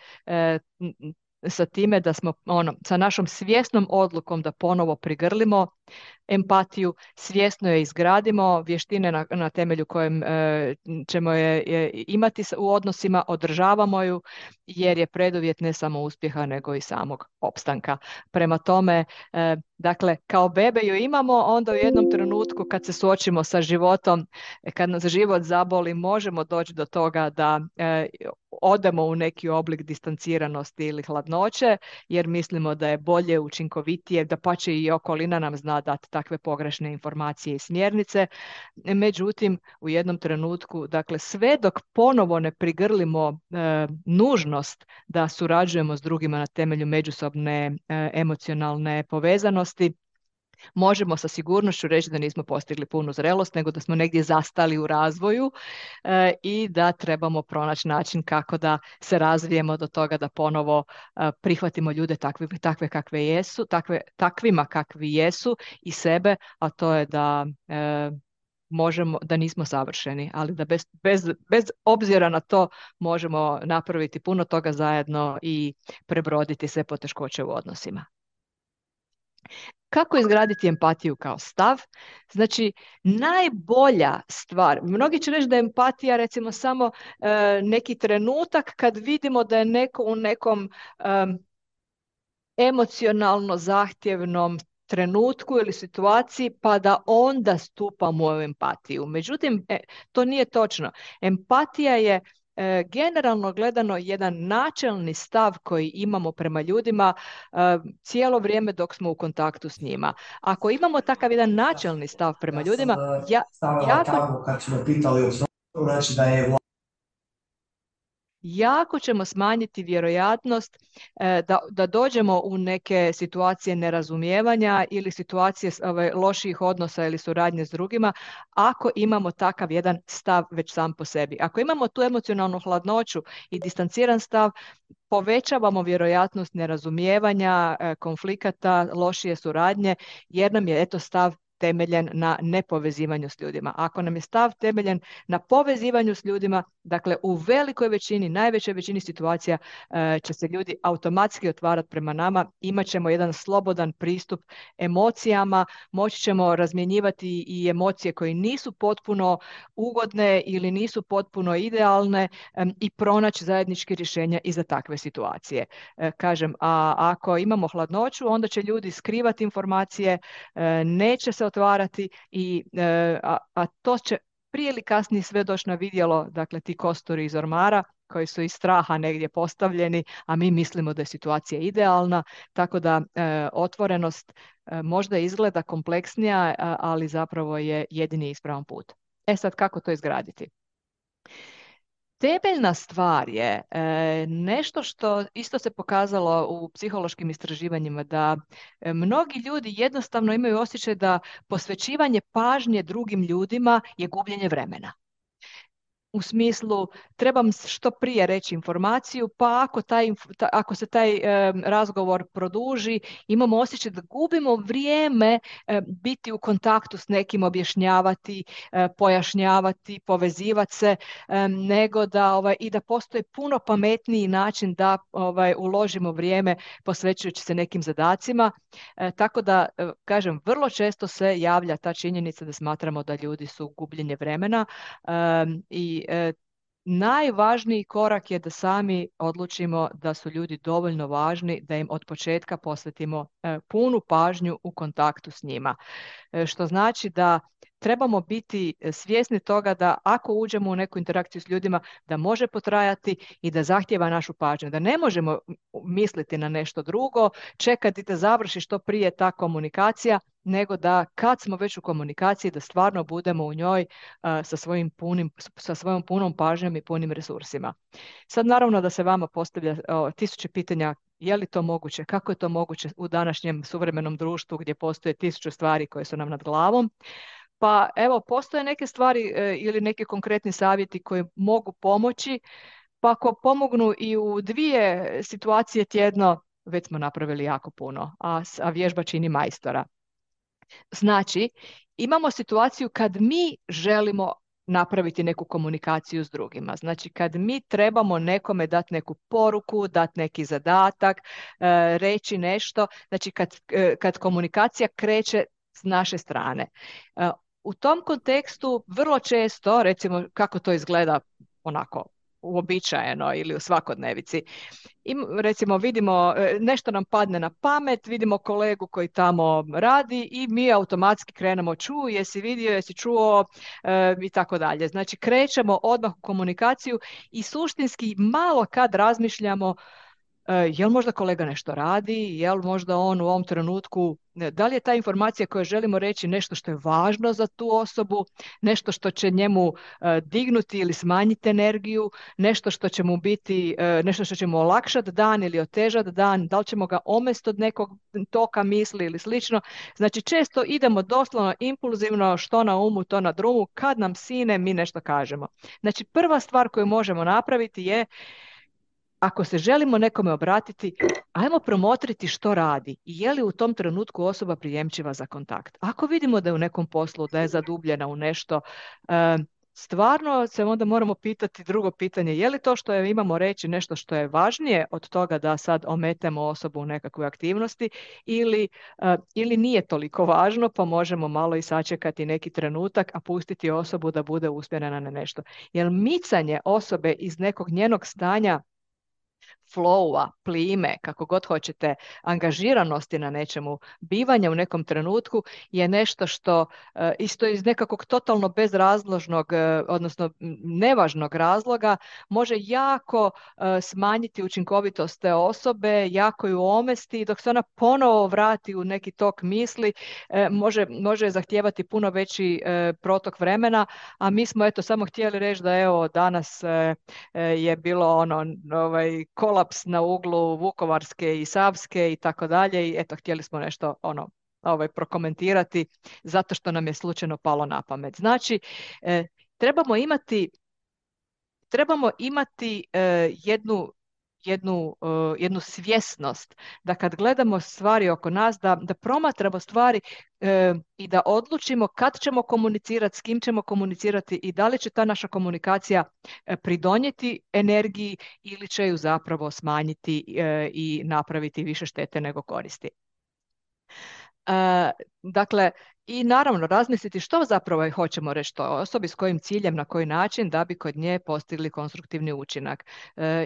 A: sa time da smo sa našom svjesnom odlukom da ponovo prigrlimo empatiju, svjesno je izgradimo, vještine na temelju kojem ćemo je imati u odnosima, održavamo ju jer je preduvjet ne samo uspjeha nego i samog opstanka. Prema tome, dakle, kao bebe ju imamo, onda u jednom trenutku kad se suočimo sa životom, kad nas život zaboli, možemo doći do toga da odemo u neki oblik distanciranosti ili hladnoće, jer mislimo da je bolje, učinkovitije, da pače i okolina nam zna dati takve pogrešne informacije i smjernice. Međutim, u jednom trenutku, dakle, sve dok ponovo ne prigrlimo nužnost da surađujemo s drugima na temelju međusobne emocionalne povezanosti, možemo sa sigurnošću reći da nismo postigli punu zrelost, nego da smo negdje zastali u razvoju i da trebamo pronaći način kako da se razvijemo do toga da ponovo prihvatimo ljude takve kakve jesu, takvima kakvi jesu i sebe, a to je da možemo, da nismo savršeni, ali da bez obzira na to možemo napraviti puno toga zajedno i prebroditi sve poteškoće u odnosima. Kako izgraditi empatiju kao stav? Znači, najbolja stvar, mnogi će reći da je empatija recimo samo neki trenutak kad vidimo da je neko u nekom emocionalno zahtjevnom trenutku ili situaciji pa da onda stupamo u empatiju. Međutim, to nije točno. Empatija je generalno gledano jedan načelni stav koji imamo prema ljudima cijelo vrijeme dok smo u kontaktu s njima. Ako imamo takav jedan načelni stav prema ljudima, jako ćemo smanjiti vjerojatnost da dođemo u neke situacije nerazumijevanja ili situacije loših odnosa ili suradnje s drugima ako imamo takav jedan stav već sam po sebi. Ako imamo tu emocionalnu hladnoću i distanciran stav, povećavamo vjerojatnost nerazumijevanja, konflikata, lošije suradnje jer nam je stav temeljen na nepovezivanju s ljudima. Ako nam je stav temeljen na povezivanju s ljudima, dakle u velikoj većini, najvećoj većini situacija će se ljudi automatski otvarati prema nama, imat ćemo jedan slobodan pristup emocijama, moći ćemo razmjenjivati i emocije koje nisu potpuno ugodne ili nisu potpuno idealne i pronaći zajedničke rješenja i za takve situacije. Kažem, a ako imamo hladnoću, onda će ljudi skrivati informacije, neće se otvarati a to će prije ili kasnije sve doći na vidjelo, dakle ti kosturi iz ormara koji su iz straha negdje postavljeni, a mi mislimo da je situacija idealna, tako da otvorenost možda izgleda kompleksnija, ali zapravo je jedini ispravan put. Sad, kako to izgraditi? Temeljna stvar je nešto što isto se pokazalo u psihološkim istraživanjima, da mnogi ljudi jednostavno imaju osjećaj da posvećivanje pažnje drugim ljudima je gubljenje vremena. U smislu, trebam što prije reći informaciju, pa ako se taj razgovor produži, imamo osjećaj da gubimo vrijeme biti u kontaktu s nekim, objašnjavati, pojašnjavati, povezivati se, nego da i da postoji puno pametniji način da uložimo vrijeme posvećujući se nekim zadacima. Tako da, kažem, vrlo često se javlja ta činjenica da smatramo da ljudi su gubljenje vremena i najvažniji korak je da sami odlučimo da su ljudi dovoljno važni da im od početka posvetimo punu pažnju u kontaktu s njima. Što znači da trebamo biti svjesni toga da ako uđemo u neku interakciju s ljudima, da može potrajati i da zahtjeva našu pažnju. Da ne možemo misliti na nešto drugo, čekati da završi što prije ta komunikacija, nego da kad smo već u komunikaciji da stvarno budemo u njoj sa svojom punom pažnjom i punim resursima. Sad naravno da se vama postavlja tisuće pitanja, je li to moguće, kako je to moguće u današnjem suvremenom društvu gdje postoje tisuće stvari koje su nam nad glavom. Pa evo, postoje neke stvari ili neki konkretni savjeti koji mogu pomoći, pa ako pomognu i u 2 situacije tjedno, već smo napravili jako puno, a vježba čini majstora. Znači, imamo situaciju kad mi želimo napraviti neku komunikaciju s drugima. Znači, kad mi trebamo nekome dati neku poruku, dati neki zadatak, reći nešto, znači kad komunikacija kreće s naše strane. U tom kontekstu vrlo često, recimo kako to izgleda onako uobičajeno ili u svakodnevici, recimo vidimo, nešto nam padne na pamet, vidimo kolegu koji tamo radi i mi automatski krenemo jesi vidio, jesi čuo i tako dalje. Znači krećemo odmah u komunikaciju i suštinski malo kad razmišljamo jel možda kolega nešto radi, jel možda on u ovom trenutku, da li je ta informacija koju želimo reći nešto što je važno za tu osobu, nešto što će njemu dignuti ili smanjiti energiju, nešto što će mu biti, nešto što će mu olakšati dan ili otežati dan, da li ćemo ga omesti od nekog toka misli ili slično. Znači često idemo doslovno impulzivno, što na umu, to na drumu, kad nam sine mi nešto kažemo. Znači prva stvar koju možemo napraviti je, ako se želimo nekome obratiti, ajmo promotriti što radi i je li u tom trenutku osoba prijemčiva za kontakt. Ako vidimo da je u nekom poslu, da je zadubljena u nešto, stvarno se onda moramo pitati drugo pitanje, je li to što je imamo reći nešto što je važnije od toga da sad ometemo osobu u nekakvoj aktivnosti ili nije toliko važno, pa možemo malo i sačekati neki trenutak, a pustiti osobu da bude usmjerena na nešto. Jer micanje osobe iz nekog njenog stanja flowa, plime, kako god hoćete, angažiranosti na nečemu, bivanja u nekom trenutku je nešto što isto iz nekakvog totalno bezrazložnog, odnosno nevažnog razloga može jako smanjiti učinkovitost te osobe, jako ju omesti, dok se ona ponovo vrati u neki tok misli, može zahtijevati puno veći protok vremena, a mi smo eto samo htjeli reći da evo danas je bilo kolaps na uglu Vukovarske i Savske i tako dalje i eto htjeli smo nešto prokomentirati zato što nam je slučajno palo na pamet. Znači trebamo imati jednu svjesnost da kad gledamo stvari oko nas, da promatramo stvari i da odlučimo kad ćemo komunicirati, s kim ćemo komunicirati i da li će ta naša komunikacija pridonijeti energiji ili će ju zapravo smanjiti i napraviti više štete nego koristi. Dakle, i naravno razmisliti što zapravo hoćemo reći toj osobi, s kojim ciljem, na koji način da bi kod nje postigli konstruktivni učinak.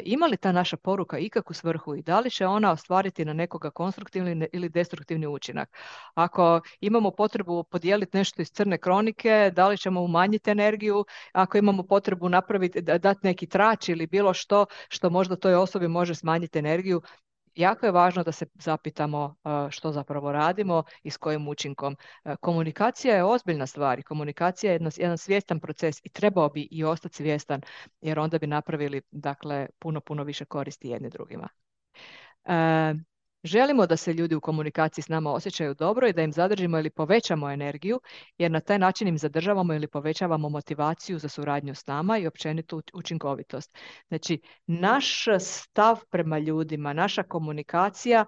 A: Ima li ta naša poruka ikakvu svrhu i da li će ona ostvariti na nekoga konstruktivni ili destruktivni učinak? Ako imamo potrebu podijeliti nešto iz crne kronike, da li ćemo umanjiti energiju? Ako imamo potrebu napraviti, dati neki trač ili bilo što možda toj osobi može smanjiti energiju, jako je važno da se zapitamo što zapravo radimo i s kojim učinkom. Komunikacija je ozbiljna stvar i komunikacija je jedan svjestan proces i trebao bi i ostati svjestan jer onda bi napravili puno više koristi jedni drugima. Želimo da se ljudi u komunikaciji s nama osjećaju dobro i da im zadržimo ili povećamo energiju, jer na taj način im zadržavamo ili povećavamo motivaciju za suradnju s nama i općenitu učinkovitost. Znači, naš stav prema ljudima, naša komunikacija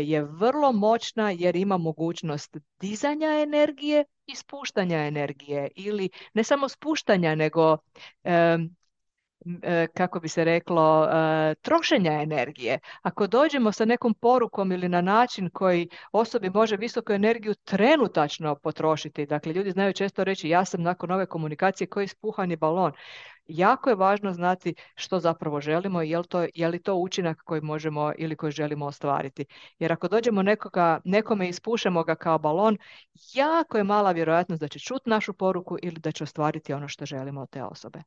A: je vrlo moćna jer ima mogućnost dizanja energije i spuštanja energije ili ne samo spuštanja, nego kako bi se reklo, trošenja energije. Ako dođemo sa nekom porukom ili na način koji osobi može visoku energiju trenutačno potrošiti, dakle ljudi znaju često reći ja sam nakon ove komunikacije koji ispuhani balon. Jako je važno znati što zapravo želimo i je li to učinak koji možemo ili koji želimo ostvariti. Jer ako dođemo nekome i ispušemo ga kao balon, jako je mala vjerojatnost da će čuti našu poruku ili da će ostvariti ono što želimo od te osobe.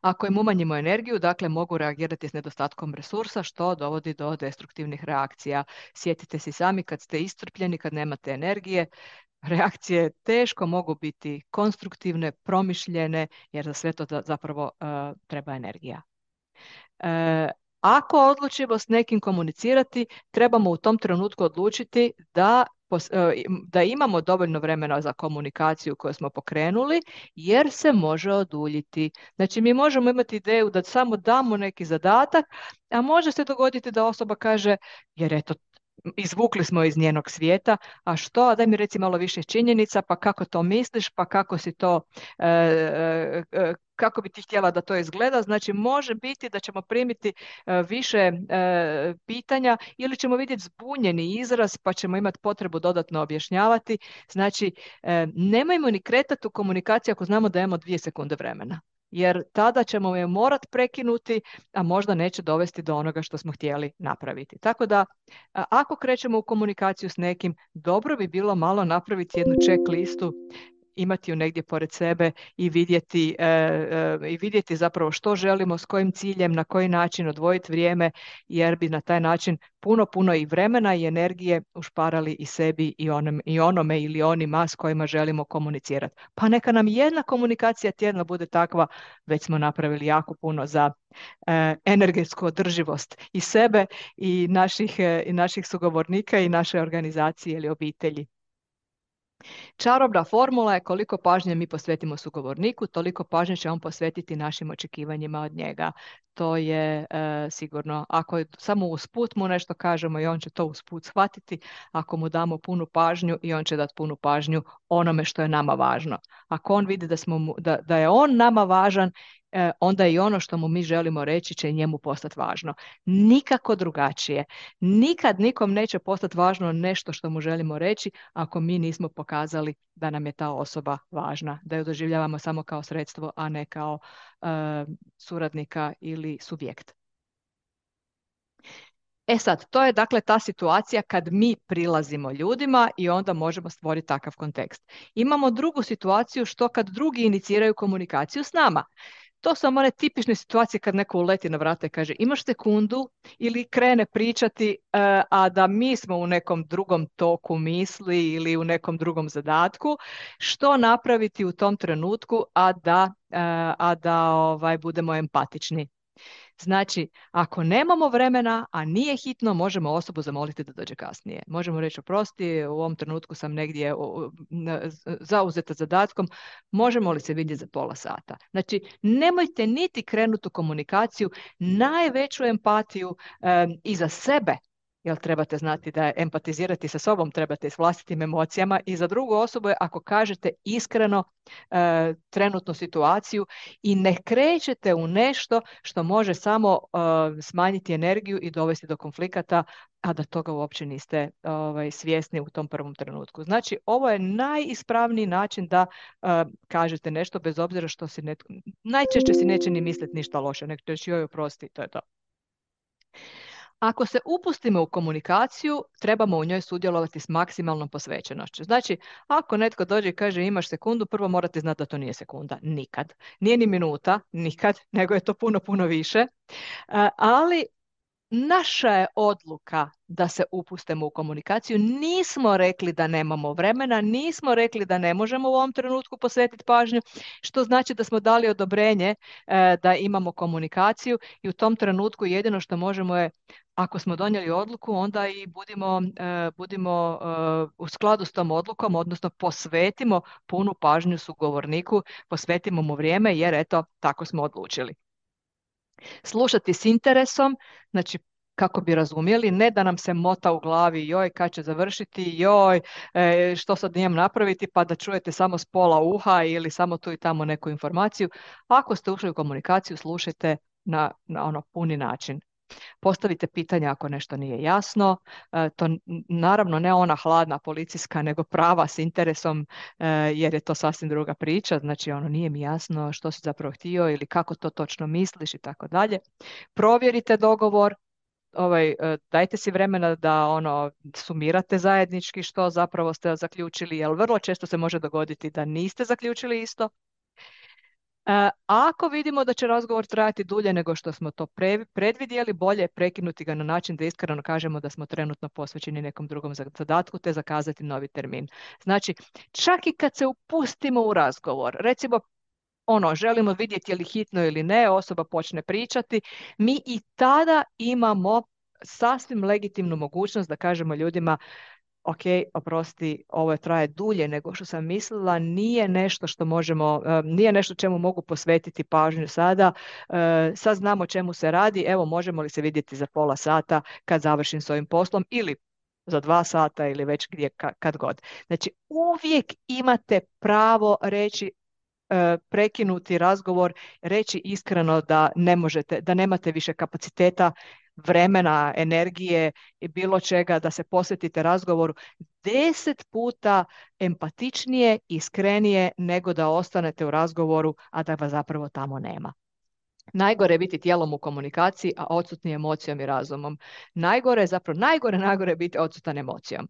A: Ako im umanjimo energiju, dakle mogu reagirati s nedostatkom resursa, što dovodi do destruktivnih reakcija. Sjetite se sami kad ste iscrpljeni, kad nemate energije, reakcije teško mogu biti konstruktivne, promišljene, jer za sve to zapravo treba energija. Ako odlučimo s nekim komunicirati, trebamo u tom trenutku odlučiti da imamo dovoljno vremena za komunikaciju koju smo pokrenuli, jer se može oduljiti. Znači, mi možemo imati ideju da samo damo neki zadatak, a može se dogoditi da osoba kaže, jer eto, izvukli smo iz njenog svijeta, a što, a daj mi reci malo više činjenica, pa kako to misliš, pa kako si to, kako bi ti htjela da to izgleda. Znači, može biti da ćemo primiti više pitanja ili ćemo vidjeti zbunjeni izraz, pa ćemo imati potrebu dodatno objašnjavati. Znači, nemojmo ni kretati u komunikaciji ako znamo da imamo 2 sekunde vremena. Jer tada ćemo je morat prekinuti, a možda neće dovesti do onoga što smo htjeli napraviti. Tako da, ako krećemo u komunikaciju s nekim, dobro bi bilo malo napraviti jednu check listu, imati ju negdje pored sebe i vidjeti zapravo što želimo, s kojim ciljem, na koji način odvojiti vrijeme, jer bi na taj način puno i vremena i energije ušparali i sebi i onome ili onima s kojima želimo komunicirati. Pa neka nam jedna komunikacija tjedno bude takva, već smo napravili jako puno za energetsku održivost i sebe i naših sugovornika i naše organizacije ili obitelji. Čarobna formula je koliko pažnje mi posvetimo sugovorniku, toliko pažnje će on posvetiti našim očekivanjima od njega. To je sigurno. Ako je samo usput mu nešto kažemo i on će to usput shvatiti, ako mu damo punu pažnju i on će dati punu pažnju onome što je nama važno. Ako on vidi da je on nama važan, onda i ono što mu mi želimo reći će njemu postati važno. Nikako drugačije. Nikad nikom neće postati važno nešto što mu želimo reći ako mi nismo pokazali da nam je ta osoba važna, da ju doživljavamo samo kao sredstvo, a ne kao suradnika ili subjekt. E sad, to je dakle ta situacija kad mi prilazimo ljudima i onda možemo stvoriti takav kontekst. Imamo drugu situaciju što kad drugi iniciraju komunikaciju s nama. To su one tipične situacije kad neko uleti na vrata i kaže imaš sekundu ili krene pričati, a da mi smo u nekom drugom toku misli ili u nekom drugom zadatku. Što napraviti u tom trenutku, a da budemo empatični? Znači, ako nemamo vremena, a nije hitno, možemo osobu zamoliti da dođe kasnije. Možemo reći, oprosti, u ovom trenutku sam negdje zauzeta zadatkom, možemo li se vidjeti za pola sata? Znači, nemojte niti krenuti u komunikaciju, najveću empatiju i za sebe, jer trebate znati da empatizirati sa sobom trebate s vlastitim emocijama, i za drugu osobu je ako kažete iskreno trenutnu situaciju i ne krećete u nešto što može samo smanjiti energiju i dovesti do konflikata, a da toga uopće niste svjesni u tom prvom trenutku. Znači, ovo je najispravniji način da kažete nešto bez obzira što si najčešće si neće ni misliti ništa loše, nek ćeš joj oprosti, to je to. Ako se upustimo u komunikaciju, trebamo u njoj sudjelovati s maksimalnom posvećenošću. Znači, ako netko dođe i kaže imaš sekundu, prvo morate znati da to nije sekunda. Nikad. Nije ni minuta, nikad, nego je to puno više. Ali naša je odluka da se upustimo u komunikaciju. Nismo rekli da nemamo vremena, nismo rekli da ne možemo u ovom trenutku posvetiti pažnju, što znači da smo dali odobrenje da imamo komunikaciju, i u tom trenutku jedino što možemo je, ako smo donijeli odluku, onda i budimo u skladu s tom odlukom, odnosno posvetimo punu pažnju sugovorniku, posvetimo mu vrijeme, jer eto, tako smo odlučili. Slušati s interesom, znači kako bi razumjeli, ne da nam se mota u glavi, joj, kad će završiti, joj, što sad nijem napraviti, pa da čujete samo s pola uha ili samo tu i tamo neku informaciju. Ako ste ušli u komunikaciju, slušajte na ono puni način. Postavite pitanja ako nešto nije jasno, to naravno ne ona hladna policijska, nego prava s interesom, jer je to sasvim druga priča, znači ono nije mi jasno što si zapravo htio ili kako to točno misliš i tako dalje. Provjerite dogovor, dajte si vremena da sumirate zajednički što zapravo ste zaključili, jer vrlo često se može dogoditi da niste zaključili isto. Ako vidimo da će razgovor trajati dulje nego što smo to predvidjeli, bolje je prekinuti ga na način da iskreno kažemo da smo trenutno posvećeni nekom drugom zadatku, te zakazati novi termin. Znači, čak i kad se upustimo u razgovor, recimo želimo vidjeti je li hitno ili ne, osoba počne pričati, mi i tada imamo sasvim legitimnu mogućnost da kažemo ljudima, ok, oprosti, ovo traje dulje nego što sam mislila, nije nešto što možemo, nije nešto čemu mogu posvetiti pažnju sada, sad znamo čemu se radi, evo možemo li se vidjeti za pola sata kad završim s ovim poslom, ili za 2 sata ili već gdje kad god. Znači uvijek imate pravo reći, prekinuti razgovor, reći iskreno da ne možete, da nemate više kapaciteta, vremena, energije i bilo čega da se posvetite razgovoru 10 puta empatičnije, iskrenije nego da ostanete u razgovoru, a da vas zapravo tamo nema. Najgore je biti tijelom u komunikaciji, a odsutni emocijom i razumom. Najgore je zapravo, najgore je biti odsutan emocijom.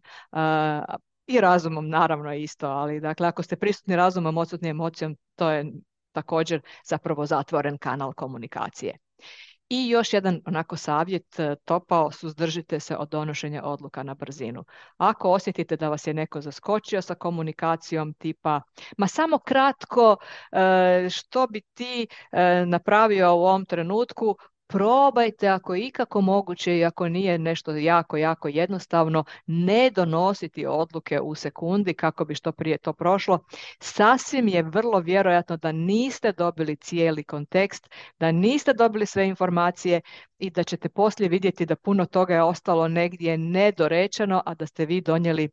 A: I razumom naravno isto, ali dakle ako ste prisutni razumom, odsutni emocijom, to je također zapravo zatvoren kanal komunikacije. I još jedan onako savjet topao, suzdržite se od donošenja odluka na brzinu. Ako osjetite da vas je neko zaskočio sa komunikacijom tipa, ma samo kratko, što bi ti napravio u ovom trenutku, probajte ako je ikako moguće i ako nije nešto jako, jako jednostavno, ne donositi odluke u sekundi kako bi što prije to prošlo. Sasvim je vrlo vjerojatno da niste dobili cijeli kontekst, da niste dobili sve informacije i da ćete poslije vidjeti da puno toga je ostalo negdje nedorečeno, a da ste vi donijeli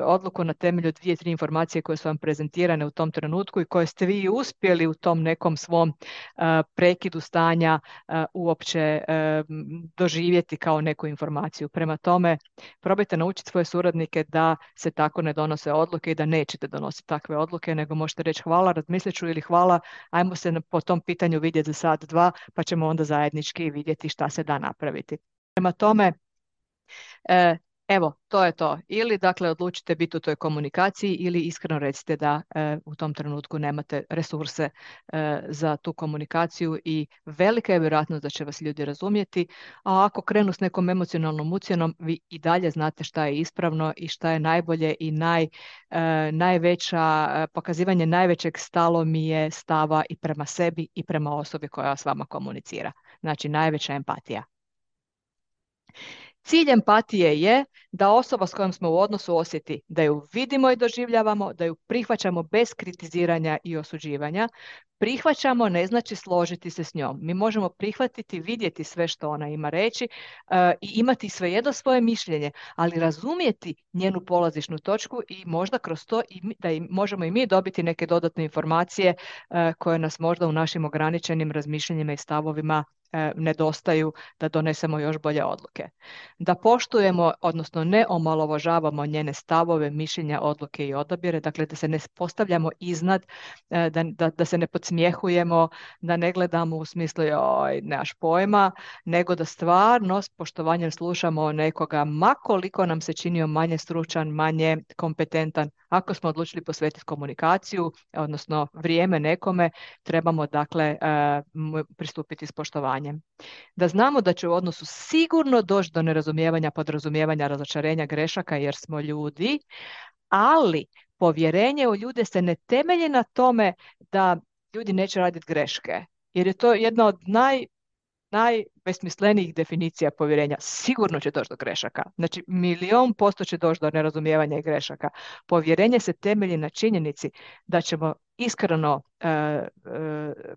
A: odluku na temelju 2-3 informacije koje su vam prezentirane u tom trenutku i koje ste vi uspjeli u tom nekom svom prekidu stanja uopće doživjeti kao neku informaciju. Prema tome, probajte naučiti svoje suradnike da se tako ne donose odluke i da nećete donositi takve odluke, nego možete reći hvala, razmislit ću ili hvala, ajmo se po tom pitanju vidjeti za sat, dva, pa ćemo onda zajednički vidjeti šta se da napraviti. Prema tome, evo, to je to. Ili dakle odlučite biti u toj komunikaciji ili iskreno recite da u tom trenutku nemate resurse za tu komunikaciju i velika je vjerojatnost da će vas ljudi razumjeti, a ako krenu s nekom emocionalnom ucjenom, vi i dalje znate šta je ispravno i šta je najbolje i najveća, pokazivanje najvećeg stalomije stava i prema sebi i prema osobi koja s vama komunicira. Znači najveća empatija. Cilj empatije je da osoba s kojom smo u odnosu osjeti da ju vidimo i doživljavamo, da ju prihvaćamo bez kritiziranja i osuđivanja. Prihvaćamo ne znači složiti se s njom. Mi možemo prihvatiti, vidjeti sve što ona ima reći i imati svejedno svoje mišljenje, ali razumjeti njenu polazišnu točku i možda kroz to da možemo i mi dobiti neke dodatne informacije koje nas možda u našim ograničenim razmišljanjima i stavovima nedostaju da donesemo još bolje odluke. Da poštujemo, odnosno ne omalovažavamo njene stavove, mišljenja, odluke i odabire, dakle da se ne postavljamo iznad, da se ne podsmjehujemo, da ne gledamo u smislu joj, nemaš pojma, nego da stvarno s poštovanjem slušamo nekoga, ma koliko nam se činio manje stručan, manje kompetentan. Ako smo odlučili posvetiti komunikaciju, odnosno vrijeme nekome, trebamo dakle pristupiti s poštovanjem. Da znamo da će u odnosu sigurno doći do nerazumijevanja, podrazumijevanja, razočarenja, grešaka jer smo ljudi, ali povjerenje u ljude se ne temelji na tome da ljudi neće raditi greške, jer je to jedna od najbesmislenijih definicija povjerenja. Sigurno će doći do grešaka. Znači, 1.000.000% će doći do nerazumijevanja i grešaka. Povjerenje se temelji na činjenici da ćemo iskreno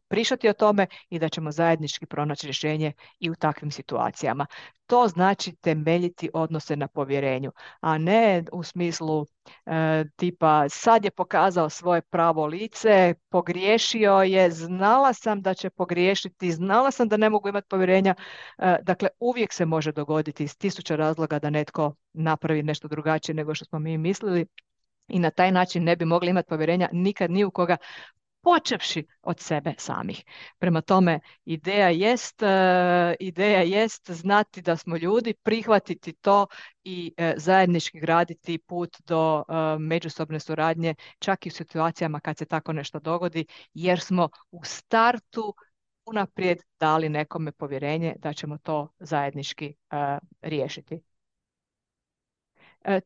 A: pričati o tome i da ćemo zajednički pronaći rješenje i u takvim situacijama. To znači temeljiti odnose na povjerenju, a ne u smislu tipa sad je pokazao svoje pravo lice, pogriješio je, znala sam da će pogriješiti, znala sam da ne mogu imati povjerenja. Dakle, uvijek se može dogoditi iz 1000 razloga da netko napravi nešto drugačije nego što smo mi mislili i na taj način ne bi mogli imati povjerenja nikad ni u koga, počevši od sebe samih. Prema tome, ideja jest znati da smo ljudi, prihvatiti to i zajednički graditi put do međusobne suradnje, čak i u situacijama kad se tako nešto dogodi, jer smo u startu unaprijed dali nekome povjerenje da ćemo to zajednički riješiti.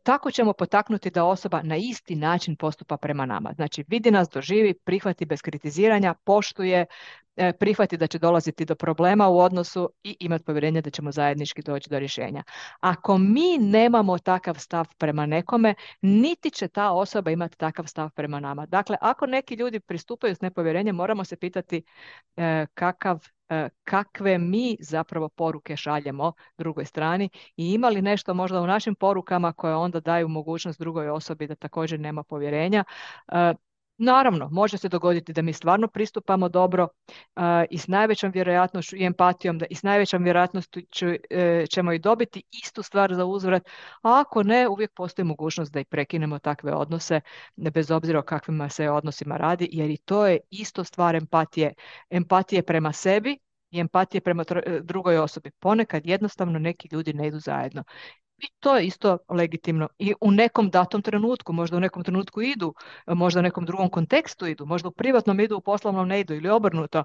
A: Tako ćemo potaknuti da osoba na isti način postupa prema nama. Znači, vidi nas, doživi, prihvati bez kritiziranja, poštuje, prihvati da će dolaziti do problema u odnosu i imati povjerenje da ćemo zajednički doći do rješenja. Ako mi nemamo takav stav prema nekome, niti će ta osoba imati takav stav prema nama. Dakle, ako neki ljudi pristupaju s nepovjerenjem, moramo se pitati kakav kakve mi zapravo poruke šaljemo drugoj strani i ima li nešto možda u našim porukama koje onda daju mogućnost drugoj osobi da također nema povjerenja. Naravno, može se dogoditi da mi stvarno pristupamo dobro i s najvećom vjerojatnošću i empatijom i s najvećom vjerojatnošću ćemo i dobiti istu stvar za uzvrat, a ako ne, uvijek postoji mogućnost da i prekinemo takve odnose, bez obzira o kakvima se odnosima radi, jer i to je isto stvar empatije. Empatije prema sebi i empatije prema drugoj osobi. Ponekad jednostavno neki ljudi ne idu zajedno. I to je isto legitimno. I u nekom datom trenutku, možda u nekom trenutku idu, možda u nekom drugom kontekstu idu, možda u privatnom idu, u poslovnom ne idu ili obrnuto.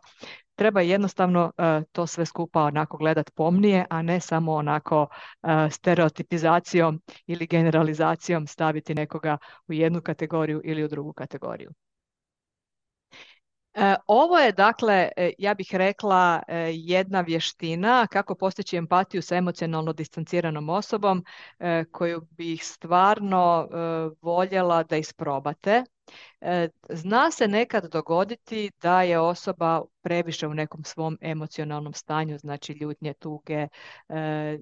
A: Treba jednostavno to sve skupa onako gledat pomnije, a ne samo onako stereotipizacijom ili generalizacijom staviti nekoga u jednu kategoriju ili u drugu kategoriju. Ovo je, dakle, ja bih rekla, jedna vještina kako postići empatiju sa emocionalno distanciranom osobom koju bih stvarno voljela da isprobate. Zna se nekad dogoditi da je osoba previše u nekom svom emocionalnom stanju, znači ljutnje, tuge,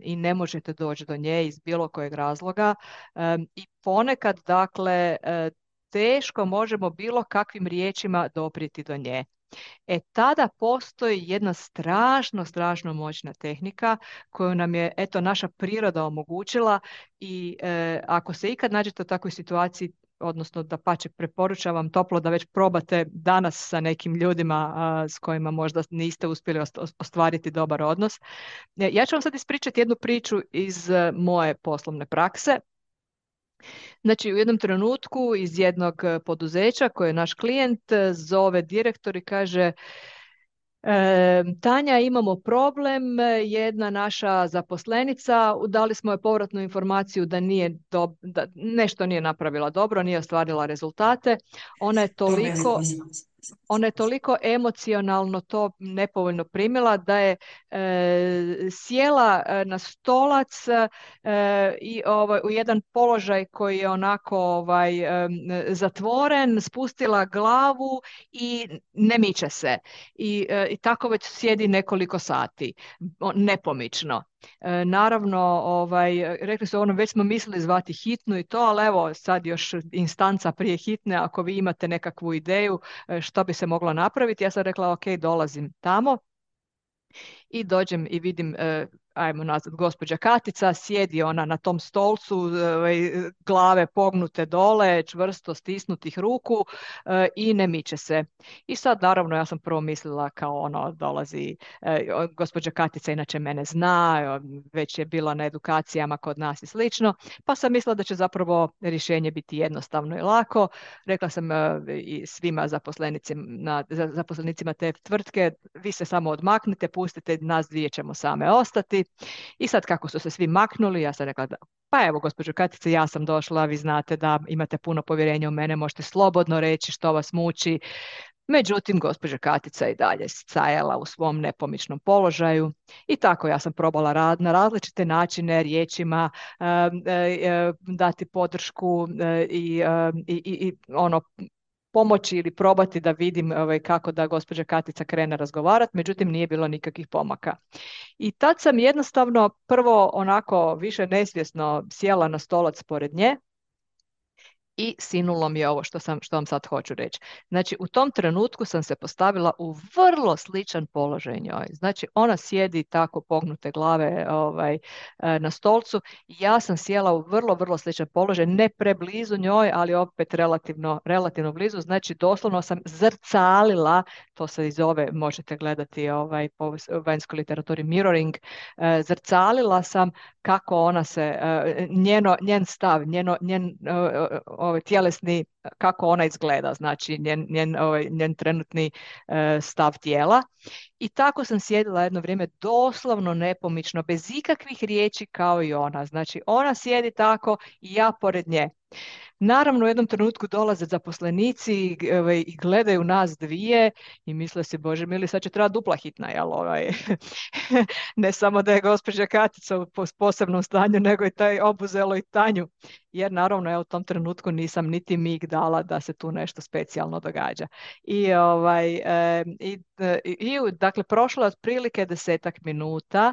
A: i ne možete doći do nje iz bilo kojeg razloga. I ponekad, dakle, teško možemo bilo kakvim riječima doprijeti do nje. Tada postoji jedna strašno moćna tehnika koju nam je, eto, naša priroda omogućila i ako se ikad nađete u takvoj situaciji, odnosno dapače, preporučavam toplo da već probate danas sa nekim ljudima s kojima možda niste uspjeli ostvariti dobar odnos. Ja ću vam sad ispričati jednu priču iz moje poslovne prakse. Znači, u jednom trenutku iz jednog poduzeća koje je naš klijent zove direktor i kaže: Tanja, imamo problem, jedna naša zaposlenica, dali smo joj povratnu informaciju da da nešto nije napravila dobro, nije ostvarila rezultate. Ona je toliko Ona je toliko emocionalno to nepovoljno primila da je sjela na stolac i u jedan položaj koji je onako zatvoren, spustila glavu i ne miče se. I tako već sjedi nekoliko sati, nepomično. Naravno, rekli su već smo mislili zvati hitnu i to, ali evo sad još instanca prije hitne, ako vi imate nekakvu ideju što bi se moglo napraviti. Ja sam rekla ok, dolazim tamo i dođem i vidim, ajmo nazvat, gospođa Katica, sjedi ona na tom stolcu, glave pognute dole, čvrsto stisnutih ruku i ne miče se. I sad naravno ja sam prvo mislila kao dolazi, gospođa Katica inače mene zna, već je bila na edukacijama kod nas i slično, pa sam mislila da će zapravo rješenje biti jednostavno i lako. Rekla sam i svima zaposlenicima te tvrtke, vi se samo odmaknite, pustite, nas dvije ćemo same ostati. I sad kako su se svi maknuli, ja sam rekla pa evo gospođo Katice, ja sam došla, vi znate da imate puno povjerenja u mene, možete slobodno reći što vas muči. Međutim, gospođa Katica i dalje stajala u svom nepomičnom položaju i tako ja sam probala na različite načine, riječima, dati podršku i pomoći ili probati da vidim kako da gospođa Katica krene razgovarati, međutim nije bilo nikakvih pomaka. I tad sam jednostavno prvo onako više nesvjesno sjela na stolac pored nje i sinulo mi je ovo što vam sad hoću reći. Znači, u tom trenutku sam se postavila u vrlo sličan položaj njoj. Znači, ona sjedi tako pognute glave na stolcu. Ja sam sjela u vrlo sličan položaj, ne preblizu njoj, ali opet relativno blizu. Znači, doslovno sam zrcalila, to se i zove, možete gledati po vanjskoj literaturi mirroring, zrcalila sam kako ona se, njen stav, njen tjelesni, kako ona izgleda, znači njen trenutni stav tijela. I tako sam sjedila jedno vrijeme doslovno nepomično, bez ikakvih riječi kao i ona. Znači ona sjedi tako i ja pored nje. Naravno, u jednom trenutku dolaze zaposlenici i gledaju nas dvije i misle se, Bože mili, sad će trebati dupla hitna, jel? Ne samo da je gospođa Katica u posebnom stanju, nego i taj obuzelo i Tanju. Jer naravno, ja u tom trenutku nisam niti mig dala da se tu nešto specijalno događa. Dakle, prošlo je otprilike 10 minuta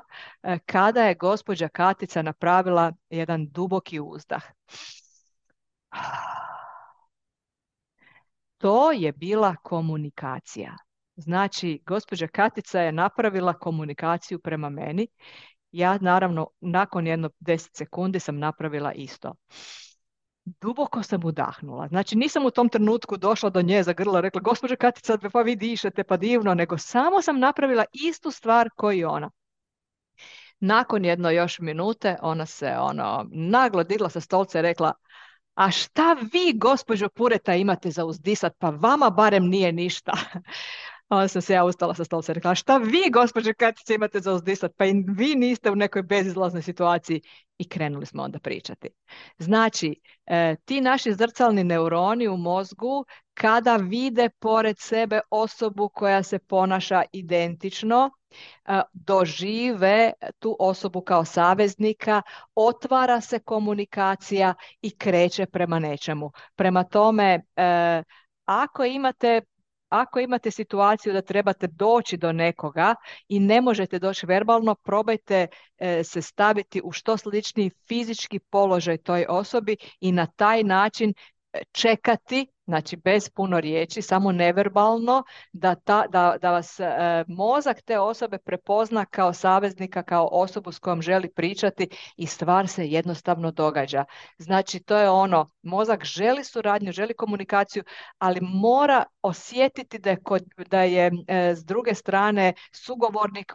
A: kada je gospođa Katica napravila jedan duboki uzdah. To je bila komunikacija. Znači, gospođa Katica je napravila komunikaciju prema meni. Ja, naravno, nakon jedno 10 sekundi sam napravila isto. Duboko sam udahnula. Znači, nisam u tom trenutku došla do nje za grlo, rekla, gospođa Katica, pa vi dišete, pa divno, nego samo sam napravila istu stvar koji i ona. Nakon jedno još minute, ona se naglo digla sa stolca i rekla, a šta vi, gospođo Pureta, imate za uzdisat, pa vama barem nije ništa. Onda sam se ja ustala sa stolca i rekla, a šta vi, gospođo Katice, imate za uzdisat, pa i vi niste u nekoj bezizlaznoj situaciji. I krenuli smo onda pričati. Znači, ti naši zrcalni neuroni u mozgu, kada vide pored sebe osobu koja se ponaša identično, dožive tu osobu kao saveznika, otvara se komunikacija i kreće prema nečemu. Prema tome, ako imate situaciju da trebate doći do nekoga i ne možete doći verbalno, probajte se staviti u što sličniji fizički položaj toj osobi i na taj način čekati, znači bez puno riječi, samo neverbalno, da vas mozak te osobe prepozna kao saveznika, kao osobu s kojom želi pričati i stvar se jednostavno događa. Znači, to je mozak želi suradnju, želi komunikaciju, ali mora osjetiti da je s druge strane sugovornik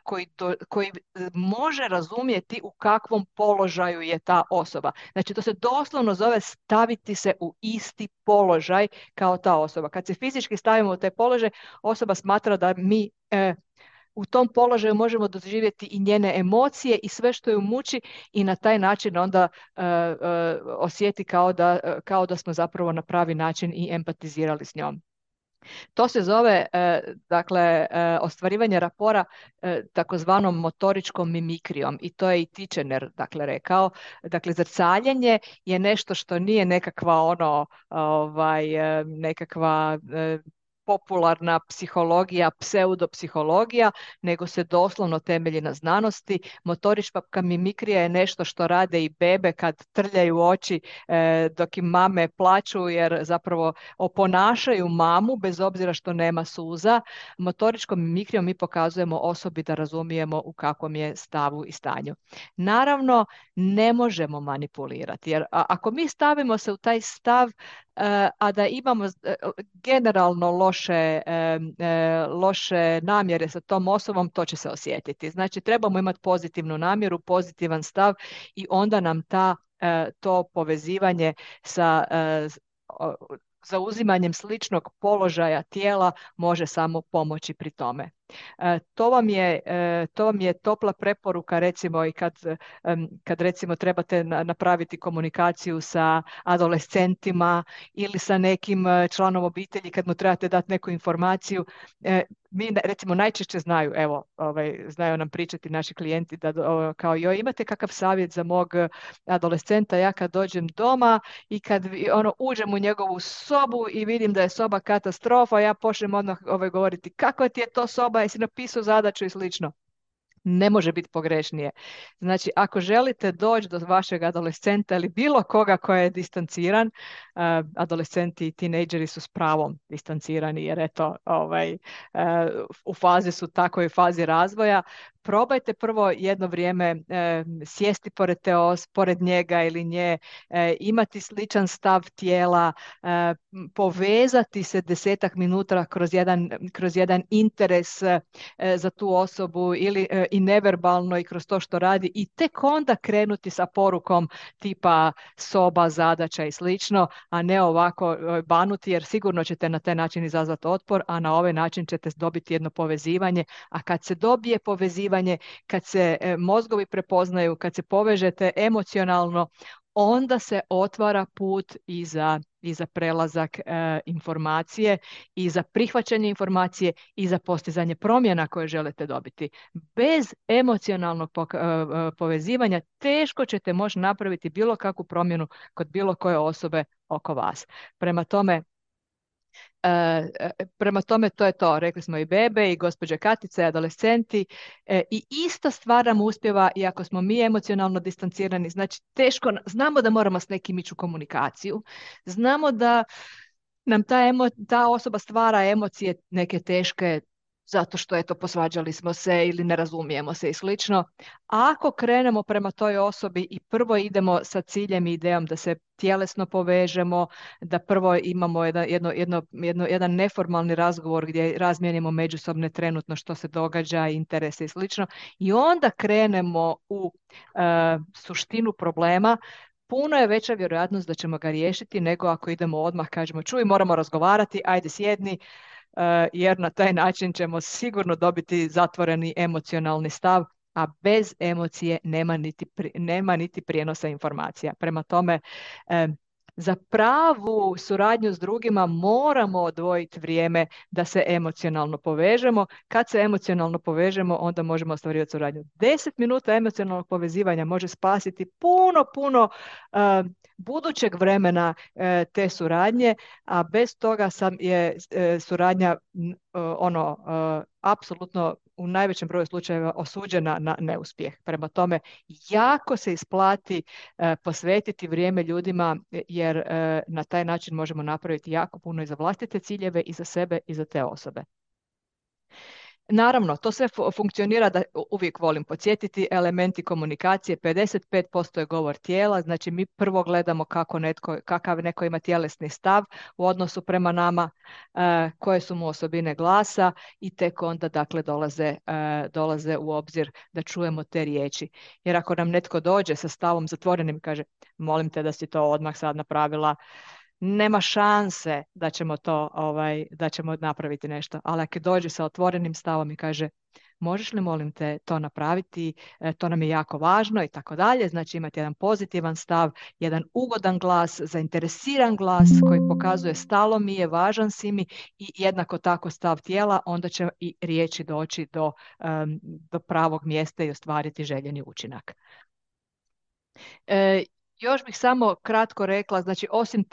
A: koji može razumjeti u kakvom položaju je ta osoba. Znači, to se doslovno zove staviti se u isti položaj kao ta osoba. Kad se fizički stavimo u taj položaj, osoba smatra da mi u tom položaju možemo doživjeti i njene emocije i sve što ju muči i na taj način onda osjeti kao da smo zapravo na pravi način i empatizirali s njom. To se zove, ostvarivanje rapora takozvanom motoričkom mimikrijom i to je i Titchener, rekao. Dakle, zrcaljenje je nešto što nije nekakva nekakva popularna psihologija, pseudopsihologija, nego se doslovno temelji na znanosti. Motorička mimikrija je nešto što rade i bebe kad trljaju oči dok im mame plaču jer zapravo oponašaju mamu bez obzira što nema suza. Motoričkom mimikrijom mi pokazujemo osobi da razumijemo u kakvom je stavu i stanju. Naravno, ne možemo manipulirati jer ako mi stavimo se u taj stav a da imamo generalno loše namjere sa tom osobom, to će se osjetiti. Znači, trebamo imati pozitivnu namjeru, pozitivan stav i onda nam to povezivanje sa zauzimanjem sličnog položaja tijela može samo pomoći pri tome. To vam je topla preporuka recimo i kad recimo trebate napraviti komunikaciju sa adolescentima ili sa nekim članom obitelji kad mu trebate dati neku informaciju. Mi recimo najčešće znaju nam pričati naši klijenti da kao joj imate kakav savjet za mog adolescenta, ja kad dođem doma i kad uđem u njegovu sobu i vidim da je soba katastrofa, ja počnem odmah govoriti kakva ti je to soba, jesi napisao zadaću i slično. Ne može biti pogrešnije. Znači, ako želite doći do vašeg adolescenta ili bilo koga koja je distanciran, adolescenti i tinejdžeri su s pravom distancirani jer eto, u fazi su takvoj fazi razvoja. Probajte prvo jedno vrijeme sjesti pored njega ili nje, imati sličan stav tijela, povezati se 10 minuta kroz jedan interes za tu osobu ili i neverbalno i kroz to što radi i tek onda krenuti sa porukom tipa soba, zadaća i slično, a ne ovako banuti jer sigurno ćete na taj način izazvati otpor, a na ovaj način ćete dobiti jedno povezivanje, a kad se dobije povezivanje, kad se mozgovi prepoznaju, kad se povežete emocionalno, onda se otvara put i za prelazak informacije i za prihvaćanje informacije i za postizanje promjena koje želite dobiti. Bez emocionalnog povezivanja teško ćete moći napraviti bilo kakvu promjenu kod bilo koje osobe oko vas. Prema tome, to je to. Rekli smo i bebe, i gospođe Katice, i adolescenti. I ista stvar nam uspjeva i ako smo mi emocionalno distancirani. Znači, teško, znamo da moramo s nekim ići u komunikaciju. Znamo da nam ta osoba stvara emocije neke teške zato što eto posvađali smo se ili ne razumijemo se i slično. Ako krenemo prema toj osobi i prvo idemo sa ciljem i idejom da se tjelesno povežemo, da prvo imamo jedan neformalni razgovor gdje razmijenimo međusobne trenutno što se događa, interese i slično, i onda krenemo u suštinu problema, puno je veća vjerojatnost da ćemo ga riješiti nego ako idemo odmah, kažemo čuj, moramo razgovarati, ajde sjedni, jer na taj način ćemo sigurno dobiti zatvoreni emocionalni stav, a bez emocije nema niti prijenosa informacija. Prema tome, za pravu suradnju s drugima moramo odvojiti vrijeme da se emocionalno povežemo. Kad se emocionalno povežemo, onda možemo ostvarivati suradnju. 10 minuta emocionalnog povezivanja može spasiti puno budućeg vremena te suradnje, a bez toga je suradnja apsolutno u najvećem broju slučajeva osuđena na neuspjeh. Prema tome, jako se isplati posvetiti vrijeme ljudima, jer na taj način možemo napraviti jako puno i za vlastite ciljeve, i za sebe, i za te osobe. Naravno, to sve funkcionira, da uvijek volim podsjetiti, elementi komunikacije, 55% je govor tijela, znači mi prvo gledamo kakav neko ima tjelesni stav u odnosu prema nama, koje su mu osobine glasa, i tek onda dakle dolaze u obzir da čujemo te riječi. Jer ako nam netko dođe sa stavom zatvorenim i kaže molim te da si to odmah sad napravila, nema šanse da ćemo napraviti nešto. Ali ako dođe sa otvorenim stavom i kaže možeš li molim te to napraviti, to nam je jako važno i tako dalje, znači imati jedan pozitivan stav, jedan ugodan glas, zainteresiran glas koji pokazuje stalo mi je, važan si mi, i jednako tako stav tijela, onda će i riječi doći do pravog mjesta i ostvariti željeni učinak. Još bih samo kratko rekla, znači osim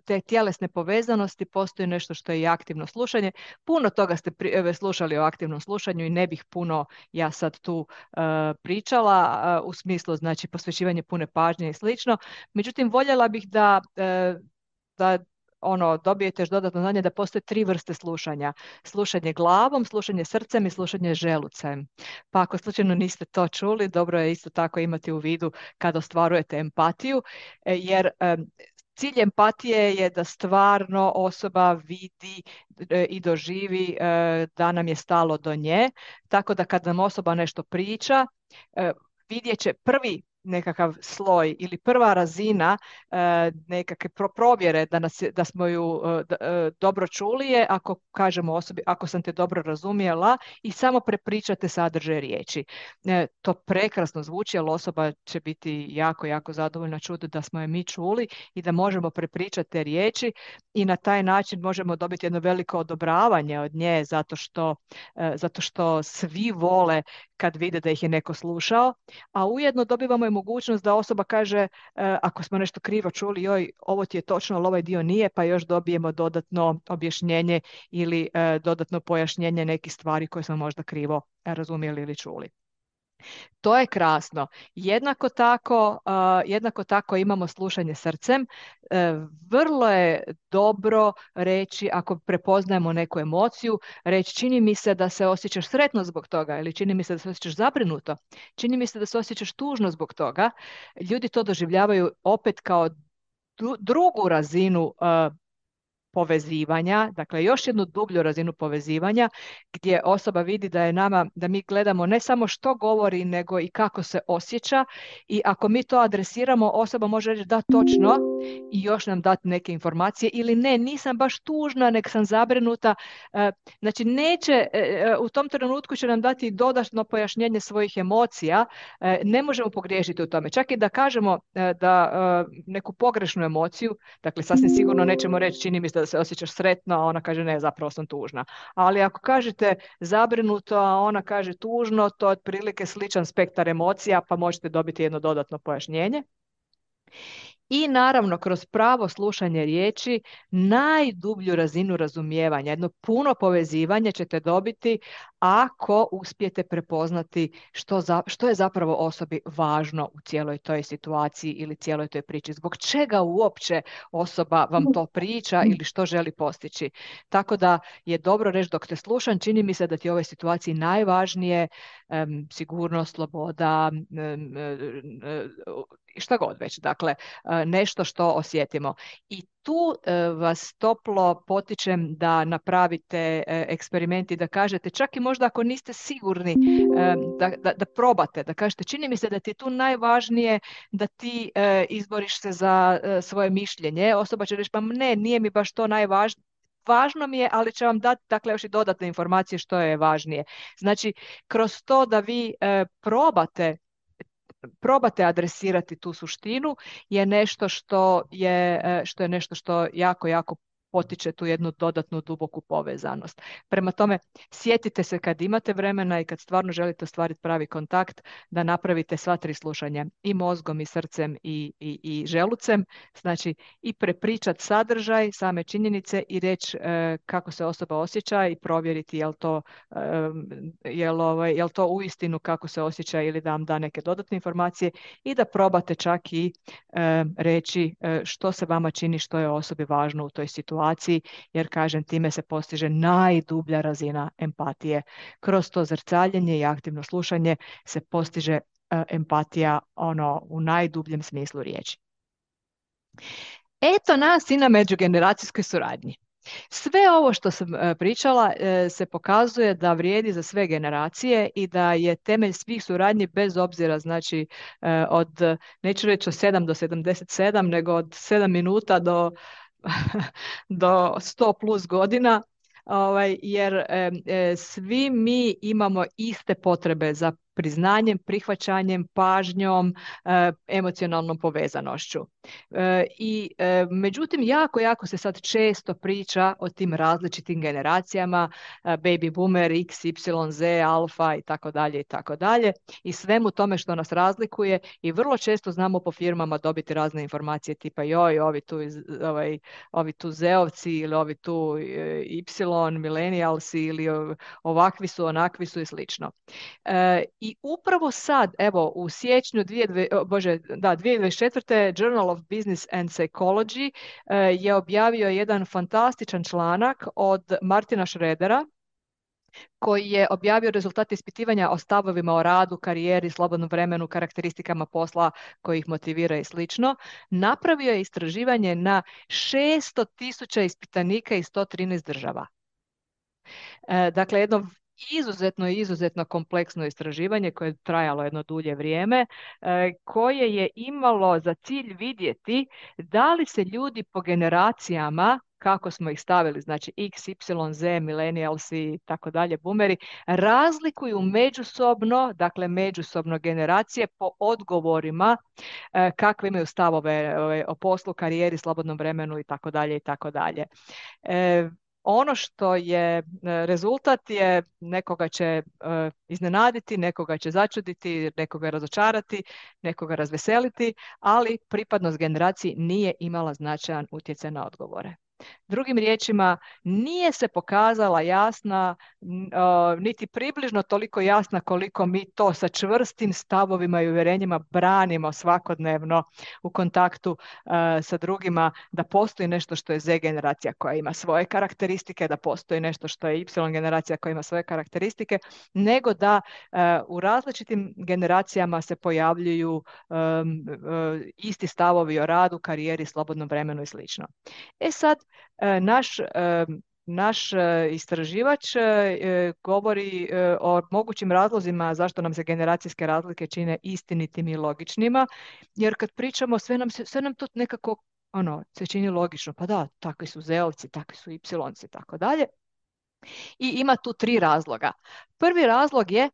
A: te tjelesne povezanosti postoji nešto što je i aktivno slušanje. Puno toga ste slušali o aktivnom slušanju i ne bih puno ja sad tu pričala u smislu znači posvećivanje pune pažnje i slično. Međutim, voljela bih da dobijete još dodatno znanje da postoje 3 vrste slušanja. Slušanje glavom, slušanje srcem i slušanje želucem. Pa ako slučajno niste to čuli, dobro je isto tako imati u vidu kada ostvarujete empatiju, jer cilj empatije je da stvarno osoba vidi i doživi da nam je stalo do nje, tako da kad nam osoba nešto priča, vidjet će prvi nekakav sloj ili prva razina nekakve provjere da smo ju dobro čuli je ako kažemo osobi ako sam te dobro razumjela i samo prepričate sadržaj riječi. To prekrasno zvuči, ali osoba će biti jako zadovoljna čuti da smo je mi čuli i da možemo prepričati te riječi i na taj način možemo dobiti jedno veliko odobravanje od nje zato što svi vole kad vide da ih je neko slušao, a ujedno dobivamo i mogućnost da osoba kaže ako smo nešto krivo čuli, joj, ovo ti je točno, ali ovaj dio nije, pa još dobijemo dodatno objašnjenje ili dodatno pojašnjenje nekih stvari koje smo možda krivo razumjeli ili čuli. To je krasno. Jednako tako imamo slušanje srcem. Vrlo je dobro reći, ako prepoznajemo neku emociju, reći čini mi se da se osjećaš sretno zbog toga ili čini mi se da se osjećaš zabrinuto, čini mi se da se osjećaš tužno zbog toga. Ljudi to doživljavaju opet kao drugu razinu povezivanja, dakle još jednu dublju razinu povezivanja gdje osoba vidi da mi gledamo ne samo što govori, nego i kako se osjeća, i ako mi to adresiramo, osoba može reći da, točno, i još nam dati neke informacije, ili ne, nisam baš tužna, nek sam zabrinuta. Znači neće, u tom trenutku će nam dati dodatno pojašnjenje svojih emocija. Ne možemo pogriješiti u tome. Čak i da kažemo da neku pogrešnu emociju, dakle sasvim sigurno nećemo reći čini mi se da se osjećaš sretno, a ona kaže ne, zapravo sam tužna. Ali ako kažete zabrinuto, a ona kaže tužno, to je otprilike sličan spektar emocija, pa možete dobiti jedno dodatno pojašnjenje. I naravno, kroz pravo slušanje riječi, najdublju razinu razumijevanja, jedno puno povezivanje ćete dobiti ako uspijete prepoznati što je zapravo osobi važno u cijeloj toj situaciji ili cijeloj toj priči. Zbog čega uopće osoba vam to priča ili što želi postići. Tako da je dobro reći dok te slušam, čini mi se da ti u ovoj situaciji najvažnije sigurnost, sloboda, šta god već. Dakle, nešto što osjetimo. I tu vas toplo potičem da napravite eksperiment i da kažete, čak i možda ako niste sigurni, da probate, da kažete čini mi se da ti je tu najvažnije da ti izboriš se za svoje mišljenje. Osoba će reći pa ne, nije mi baš to najvažnije. Važno mi je, ali će vam dati dakle, još i dodatne informacije što je važnije. Znači, kroz to da vi probate adresirati tu suštinu je nešto što je nešto što jako, jako potiče tu jednu dodatnu duboku povezanost. Prema tome, sjetite se kad imate vremena i kad stvarno želite ostvariti pravi kontakt, da napravite sva tri slušanja i mozgom i srcem i želucem, znači i prepričati sadržaj, same činjenice i reći kako se osoba osjeća i provjeriti jel to uistinu kako se osjeća ili da vam da neke dodatne informacije i da probate čak i reći što se vama čini, što je osobi važno u toj situaciji, jer kažem time se postiže najdublja razina empatije. Kroz to zrcaljenje i aktivno slušanje se postiže empatija u najdubljem smislu riječi. Eto nas i na međugeneracijskoj suradnji. Sve ovo što sam pričala se pokazuje da vrijedi za sve generacije i da je temelj svih suradnji bez obzira, znači neću reći od 7 do 77, nego od 7 minuta do 100 plus godina, jer svi mi imamo iste potrebe za priznanjem, prihvaćanjem, pažnjom, emocionalnom povezanošću. Međutim, jako se sad često priča o tim različitim generacijama, baby boomer, X, Y, Z, alfa i tako dalje i tako dalje, i svemu tome što nas razlikuje, i vrlo često znamo po firmama dobiti razne informacije tipa joj, ovi tu Z-ovci ili ovi tu Y, millennialsi ili ovakvi su, onakvi su i slično. I upravo sad, evo, u siječnju 2024. Journal of Business and Psychology je objavio jedan fantastičan članak od Martina Schroedera, koji je objavio rezultate ispitivanja o stavovima o radu, karijeri, slobodnom vremenu, karakteristikama posla koji ih motivira i slično. Napravio je istraživanje na 600.000 ispitanika iz 113 država. Dakle, jedno izuzetno kompleksno istraživanje koje je trajalo jedno dulje vrijeme, koje je imalo za cilj vidjeti da li se ljudi po generacijama, kako smo ih stavili, znači X, Y, Z, millennialsi i tako dalje, boomeri, razlikuju međusobno generacije po odgovorima kakve imaju stavove o poslu, karijeri, slobodnom vremenu i tako dalje i tako dalje. Ono što je rezultat je nekoga će iznenaditi, nekoga će začuditi, nekoga razočarati, nekoga razveseliti, ali pripadnost generaciji nije imala značajan utjecaj na odgovore. Drugim riječima, nije se pokazala jasna, niti približno toliko jasna koliko mi to sa čvrstim stavovima i uvjerenjima branimo svakodnevno u kontaktu sa drugima, da postoji nešto što je Z generacija koja ima svoje karakteristike, da postoji nešto što je Y generacija koja ima svoje karakteristike, nego da u različitim generacijama se pojavljuju isti stavovi o radu, karijeri, slobodnom vremenu i slično. Sad, naš istraživač govori o mogućim razlozima zašto nam se generacijske razlike čine istinitim i logičnima, jer kad pričamo sve nam to nekako se čini logično. Pa da, takvi su zeovci, takvi su y-ci, tako dalje. I ima tu tri razloga. Prvi razlog je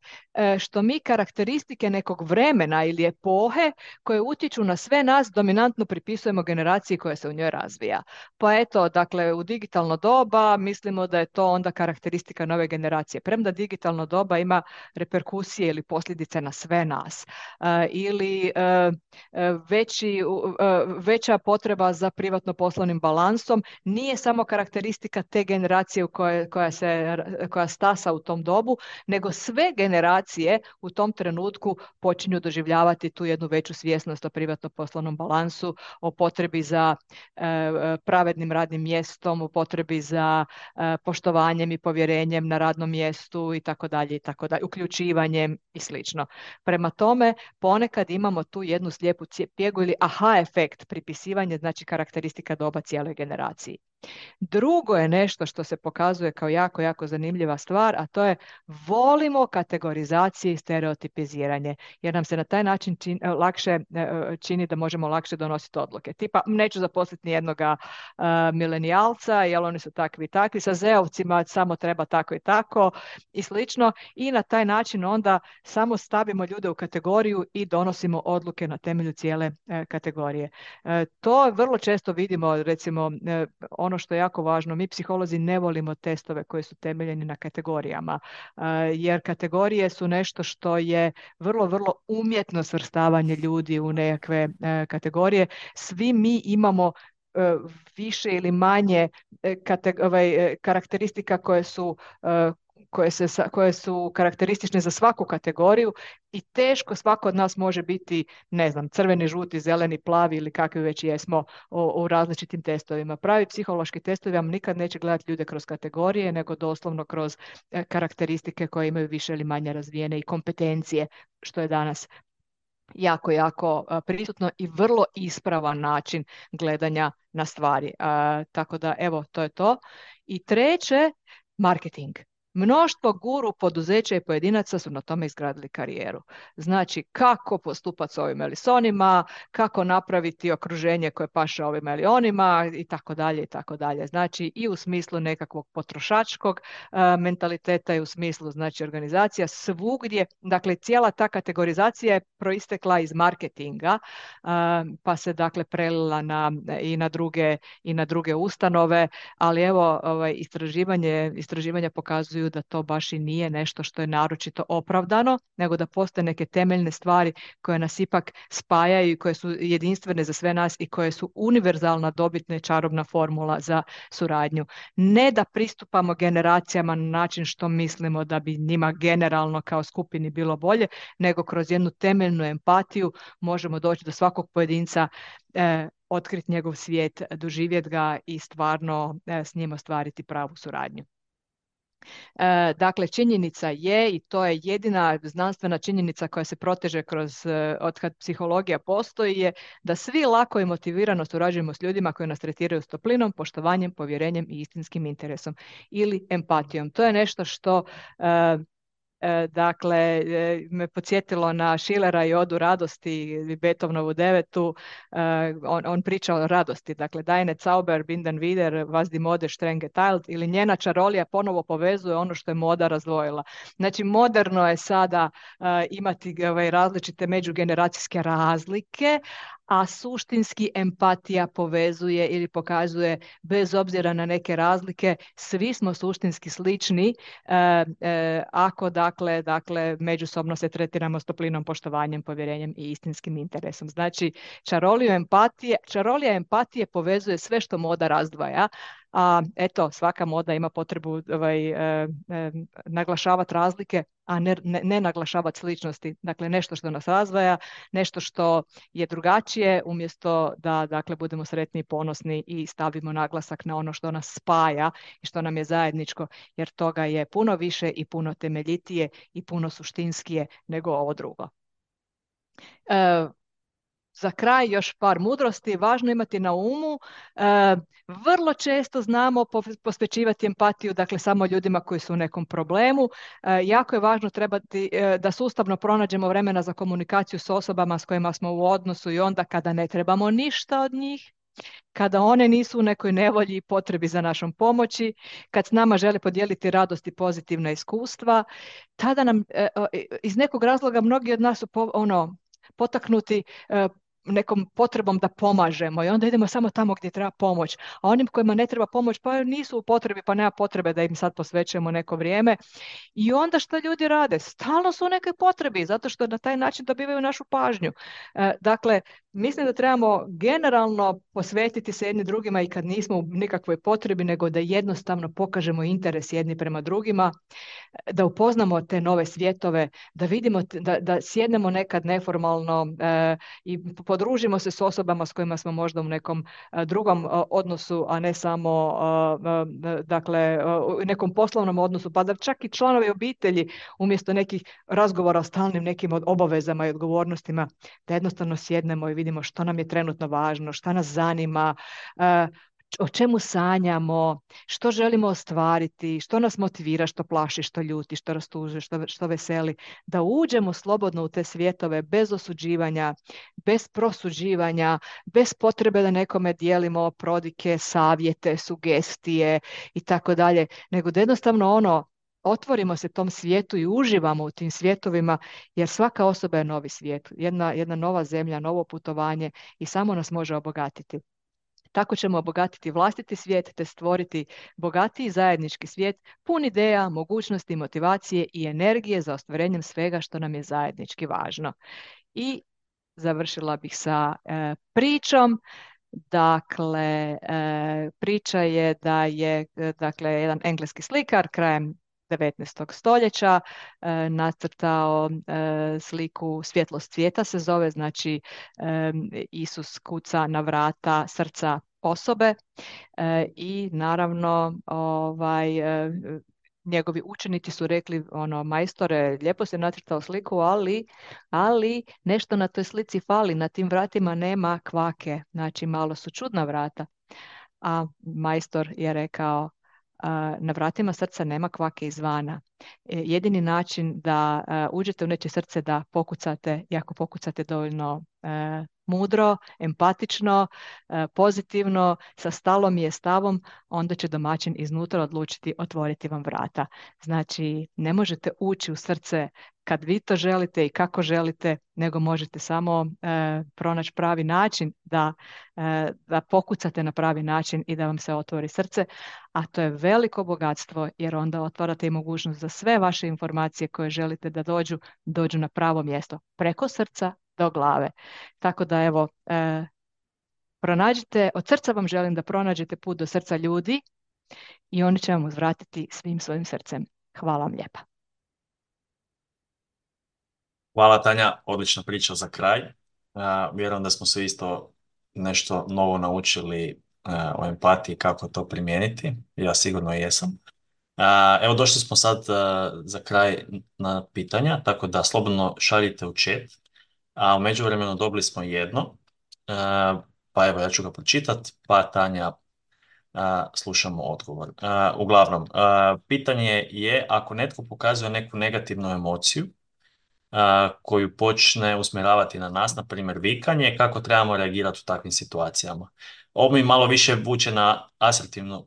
A: što mi karakteristike nekog vremena ili epohe koje utječu na sve nas dominantno pripisujemo generaciji koja se u njoj razvija. Pa eto, dakle, u digitalno doba mislimo da je to onda karakteristika nove generacije. Premda digitalno doba ima reperkusije ili posljedice na sve nas. Ili veća potreba za privatno poslovnim balansom nije samo karakteristika te generacije koja stasa u tom dobu, nego sve generacije u tom trenutku počinju doživljavati tu jednu veću svjesnost o privatno poslovnom balansu, o potrebi za pravednim radnim mjestom, o potrebi za poštovanjem i povjerenjem na radnom mjestu i tako dalje, uključivanjem i slično. Prema tome, ponekad imamo tu jednu slijepu pjegu ili aha efekt, pripisivanje znači karakteristika doba cijeloj generaciji. Drugo je nešto što se pokazuje kao jako, jako zanimljiva stvar, a to je volimo kategorizacije i stereotipiziranje, jer nam se na taj način čini da možemo lakše donositi odluke. Tipa, neću zaposliti nijednoga milenijalca, jer oni su takvi i takvi, sa zeovcima samo treba tako i tako i slično, i na taj način onda samo stavimo ljude u kategoriju i donosimo odluke na temelju cijele kategorije. To vrlo često vidimo, recimo, ono što je jako važno, mi psiholozi ne volimo testove koji su temeljeni na kategorijama, jer kategorije su nešto što je vrlo, vrlo umjetno svrstavanje ljudi u nekakve kategorije. Svi mi imamo više ili manje karakteristika koje su karakteristične za svaku kategoriju i teško svako od nas može biti, ne znam, crveni, žuti, zeleni, plavi ili kakvi već jesmo u različitim testovima. Pravi psihološki testovi vam nikad neće gledati ljude kroz kategorije, nego doslovno kroz karakteristike koje imaju više ili manje razvijene i kompetencije, što je danas jako, jako prisutno i vrlo ispravan način gledanja na stvari. Tako da, evo, to je to. I treće, marketing. Mnoštvo guru poduzeća i pojedinaca su na tome izgradili karijeru. Znači, kako postupati s ovima ili s onima, kako napraviti okruženje koje paše ovima ili onima i tako dalje i tako dalje. Znači, i u smislu nekakvog potrošačkog mentaliteta i u smislu, znači, organizacija svugdje. Dakle, cijela ta kategorizacija je proistekla iz marketinga, pa se, dakle, prelila i na druge ustanove, ali evo, istraživanja pokazuju da to baš i nije nešto što je naročito opravdano, nego da postoje neke temeljne stvari koje nas ipak spajaju i koje su jedinstvene za sve nas i koje su univerzalna, dobitna i čarobna formula za suradnju. Ne da pristupamo generacijama na način što mislimo da bi njima generalno kao skupini bilo bolje, nego kroz jednu temeljnu empatiju možemo doći do svakog pojedinca, otkriti njegov svijet, doživjeti ga i stvarno s njim ostvariti pravu suradnju. Dakle, činjenica je, i to je jedina znanstvena činjenica koja se proteže od kad psihologija postoji, je da svi lako i motivirano surađujemo s ljudima koji nas tretiraju s toplinom, poštovanjem, povjerenjem i istinskim interesom ili empatijom. To je nešto što dakle, me podsjetilo na Schillera i Odu radosti, Beethovenovu devetu. On priča o radosti, dakle, Deine Zauber, binden wieder, was die Mode streng geteilt, ili njena čarolija ponovo povezuje ono što je moda razdvojila. Znači, moderno je sada imati različite međugeneracijske razlike, a suštinski empatija povezuje ili pokazuje, bez obzira na neke razlike, svi smo suštinski slični ako dakle međusobno se tretiramo s toplinom, poštovanjem, povjerenjem i istinskim interesom. Znači, čarolija empatije povezuje sve što moda razdvaja. A eto, svaka moda ima potrebu naglašavati razlike, a ne naglašavati sličnosti. Dakle, nešto što nas razdvaja, nešto što je drugačije, umjesto da, dakle, budemo sretni i ponosni i stavimo naglasak na ono što nas spaja i što nam je zajedničko, jer toga je puno više i puno temeljitije i puno suštinskije nego ovo drugo. Za kraj još par mudrosti. Važno imati na umu Vrlo često znamo posvećivati empatiju, dakle samo ljudima koji su u nekom problemu. Jako je važno da sustavno pronađemo vremena za komunikaciju s osobama s kojima smo u odnosu i onda kada ne trebamo ništa od njih, kada one nisu u nekoj nevolji i potrebi za našom pomoći, kad s nama žele podijeliti radost i pozitivna iskustva, tada nam iz nekog razloga mnogi od nas su potaknuti nekom potrebom da pomažemo i onda idemo samo tamo gdje treba pomoć. A onim kojima ne treba pomoć pa nisu u potrebi, pa nema potrebe da im sad posvećujemo neko vrijeme. I onda što ljudi rade? Stalno su u nekoj potrebi, zato što na taj način dobivaju našu pažnju. Dakle, mislim da trebamo generalno posvetiti se jedni drugima i kad nismo u nikakvoj potrebi, nego da jednostavno pokažemo interes jedni prema drugima, da upoznamo te nove svjetove, da vidimo, da sjednemo nekad neformalno i podružimo se s osobama s kojima smo možda u nekom drugom odnosu, a ne samo dakle, u nekom poslovnom odnosu, pa da čak i članovi obitelji umjesto nekih razgovora o stalnim nekim obavezama i odgovornostima, da jednostavno sjednemo i vidimo što nam je trenutno važno, šta nas zanima, o čemu sanjamo, što želimo ostvariti, što nas motivira, što plaši, što ljuti, što rastužuje, što veseli, da uđemo slobodno u te svjetove bez osuđivanja, bez prosuđivanja, bez potrebe da nekome dijelimo prodike, savjete, sugestije i tako dalje, nego da jednostavno otvorimo se tom svijetu i uživamo u tim svjetovima, jer svaka osoba je novi svijet, jedna nova zemlja, novo putovanje i samo nas može obogatiti. Tako ćemo obogatiti vlastiti svijet te stvoriti bogatiji zajednički svijet pun ideja, mogućnosti, motivacije i energije za ostvarenjem svega što nam je zajednički važno. I završila bih sa pričom. Dakle, priča je da je dakle, jedan engleski slikar krajem 19. stoljeća nacrtao sliku Svjetlost svijeta se zove, znači Isus kuca na vrata srca osobe i naravno njegovi učenici su rekli, majstore, lijepo se nacrtao sliku, ali nešto na toj slici fali, na tim vratima nema kvake, znači malo su čudna vrata. A majstor je rekao, na vratima srca nema kvake izvana. Jedini način da uđete u nečije srce da pokucate, i ako pokucate dovoljno mudro, empatično, pozitivno, sa stalom i stavom, onda će domaćin iznutra odlučiti otvoriti vam vrata. Znači, ne možete ući u srce kad vi to želite i kako želite, nego možete samo pronaći pravi način da pokucate na pravi način i da vam se otvori srce, a to je veliko bogatstvo jer onda otvarate i mogućnost da sve vaše informacije koje želite da dođu na pravo mjesto, preko srca do glave. Tako da evo, pronađite, od srca vam želim da pronađete put do srca ljudi i oni će vam uzvratiti svim svojim srcem. Hvala vam lijepa.
B: Hvala Tanja, odlična priča za kraj. Vjerujem da smo se isto nešto novo naučili o empatiji, kako to primijeniti. Ja sigurno jesam. Evo došli smo sad za kraj na pitanja, tako da slobodno šaljite u chat. A u međuvremenu dobili smo jedno, pa evo ja ću ga pročitati, pa Tanja slušamo odgovor. Uglavnom, pitanje je ako netko pokazuje neku negativnu emociju koju počne usmjeravati na nas, na primjer vikanje, kako trebamo reagirati u takvim situacijama. Ovo mi malo više vuče na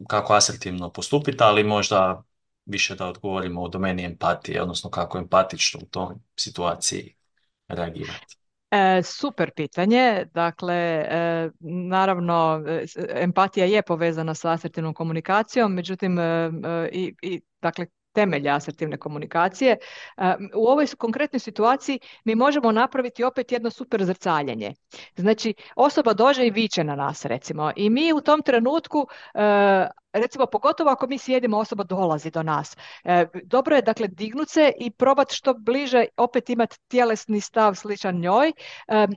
B: kako asertivno postupiti, ali možda više da odgovorimo u domeni empatije, odnosno kako empatično u toj situaciji reagirati.
A: Super pitanje. Dakle, naravno, empatija je povezana sa asertivnom komunikacijom, međutim, dakle, temelj asertivne komunikacije. U ovoj konkretnoj situaciji mi možemo napraviti opet jedno super zrcaljenje. Znači, osoba dođe i viče na nas, recimo, i mi u tom trenutku, recimo, pogotovo ako mi sjedimo, osoba dolazi do nas. Dobro je, dakle, dignut se i probati što bliže, opet imati tjelesni stav sličan njoj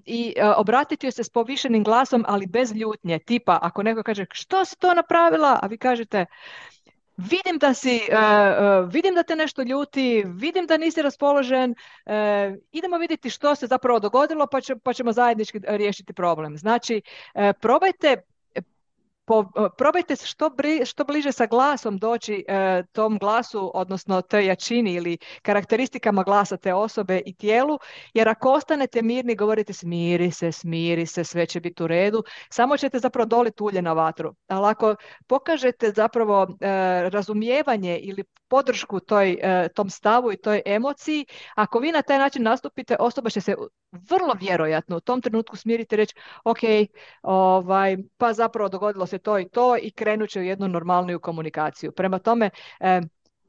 A: i obratiti joj se s povišenim glasom, ali bez ljutnje. Tipa, ako neko kaže, što si to napravila? A vi kažete, vidim da te nešto ljuti, vidim da nisi raspoložen, idemo vidjeti što se zapravo dogodilo pa ćemo zajednički riješiti problem. Znači, probajte probajte se što bliže sa glasom doći tom glasu, odnosno toj jačini ili karakteristikama glasa te osobe i tijelu, jer ako ostanete mirni, govorite smiri se, sve će biti u redu, samo ćete zapravo doliti ulje na vatru. Ali ako pokažete zapravo razumijevanje ili podršku tom stavu i toj emociji, ako vi na taj način nastupite, osoba će se vrlo vjerojatno u tom trenutku smiriti i reći ok, pa zapravo dogodilo se to i to i krenut će u jednu normalniju komunikaciju. Prema tome,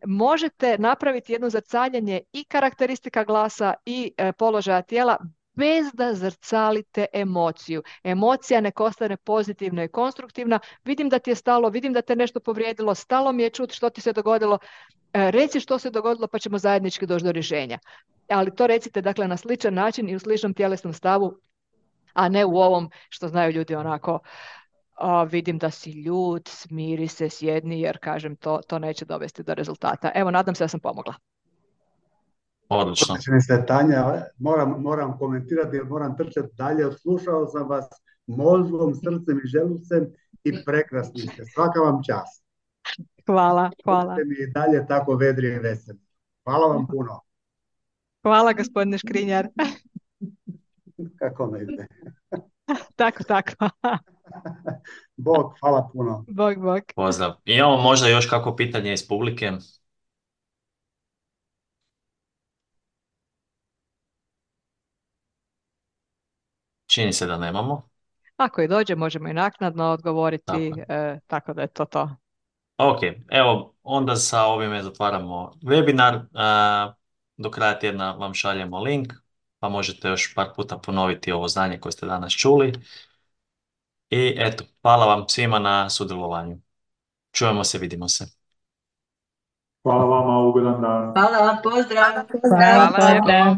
A: možete napraviti jedno zrcaljenje i karakteristika glasa i položaja tijela bez da zrcalite emociju. Emocija nek ostane pozitivna i konstruktivna. Vidim da ti je stalo, vidim da te nešto povrijedilo, stalo mi je čut što ti se dogodilo. Reci što se dogodilo pa ćemo zajednički doći do rješenja. Ali to recite dakle na sličan način i u sličnom tjelesnom stavu, a ne u ovom što znaju ljudi onako vidim da si ljut, smiri se, sjedni, jer kažem to neće dovesti do rezultata. Evo, nadam se da sam pomogla.
B: Odlično.
C: Odlični ste, Tanja, moram komentirati jer moram trčati dalje. Odslušao sam vas mozgom, srcem i želucem i prekrasni ste. Svaka vam čast.
A: Hvala.
C: Budite mi i dalje tako vedri i veseli. Hvala vam puno.
A: Hvala, gospodine Škrinjar.
C: Kako ne ide?
A: Tako.
C: Bog, hvala puno.
A: Bog.
B: Pozdrav. Imamo možda još kako pitanje iz publike? Čini se da nemamo.
A: Ako i dođe, možemo i naknadno odgovoriti, tako da je to.
B: Ok, evo, onda sa ovime zatvaramo webinar. Do kraja tjedna vam šaljemo link, pa možete još par puta ponoviti ovo znanje koje ste danas čuli. I eto, hvala vam svima na sudjelovanju. Čujemo se, vidimo se.
D: Hvala vama, ugodan dan.
E: Hvala, pozdrav.
A: Hvala.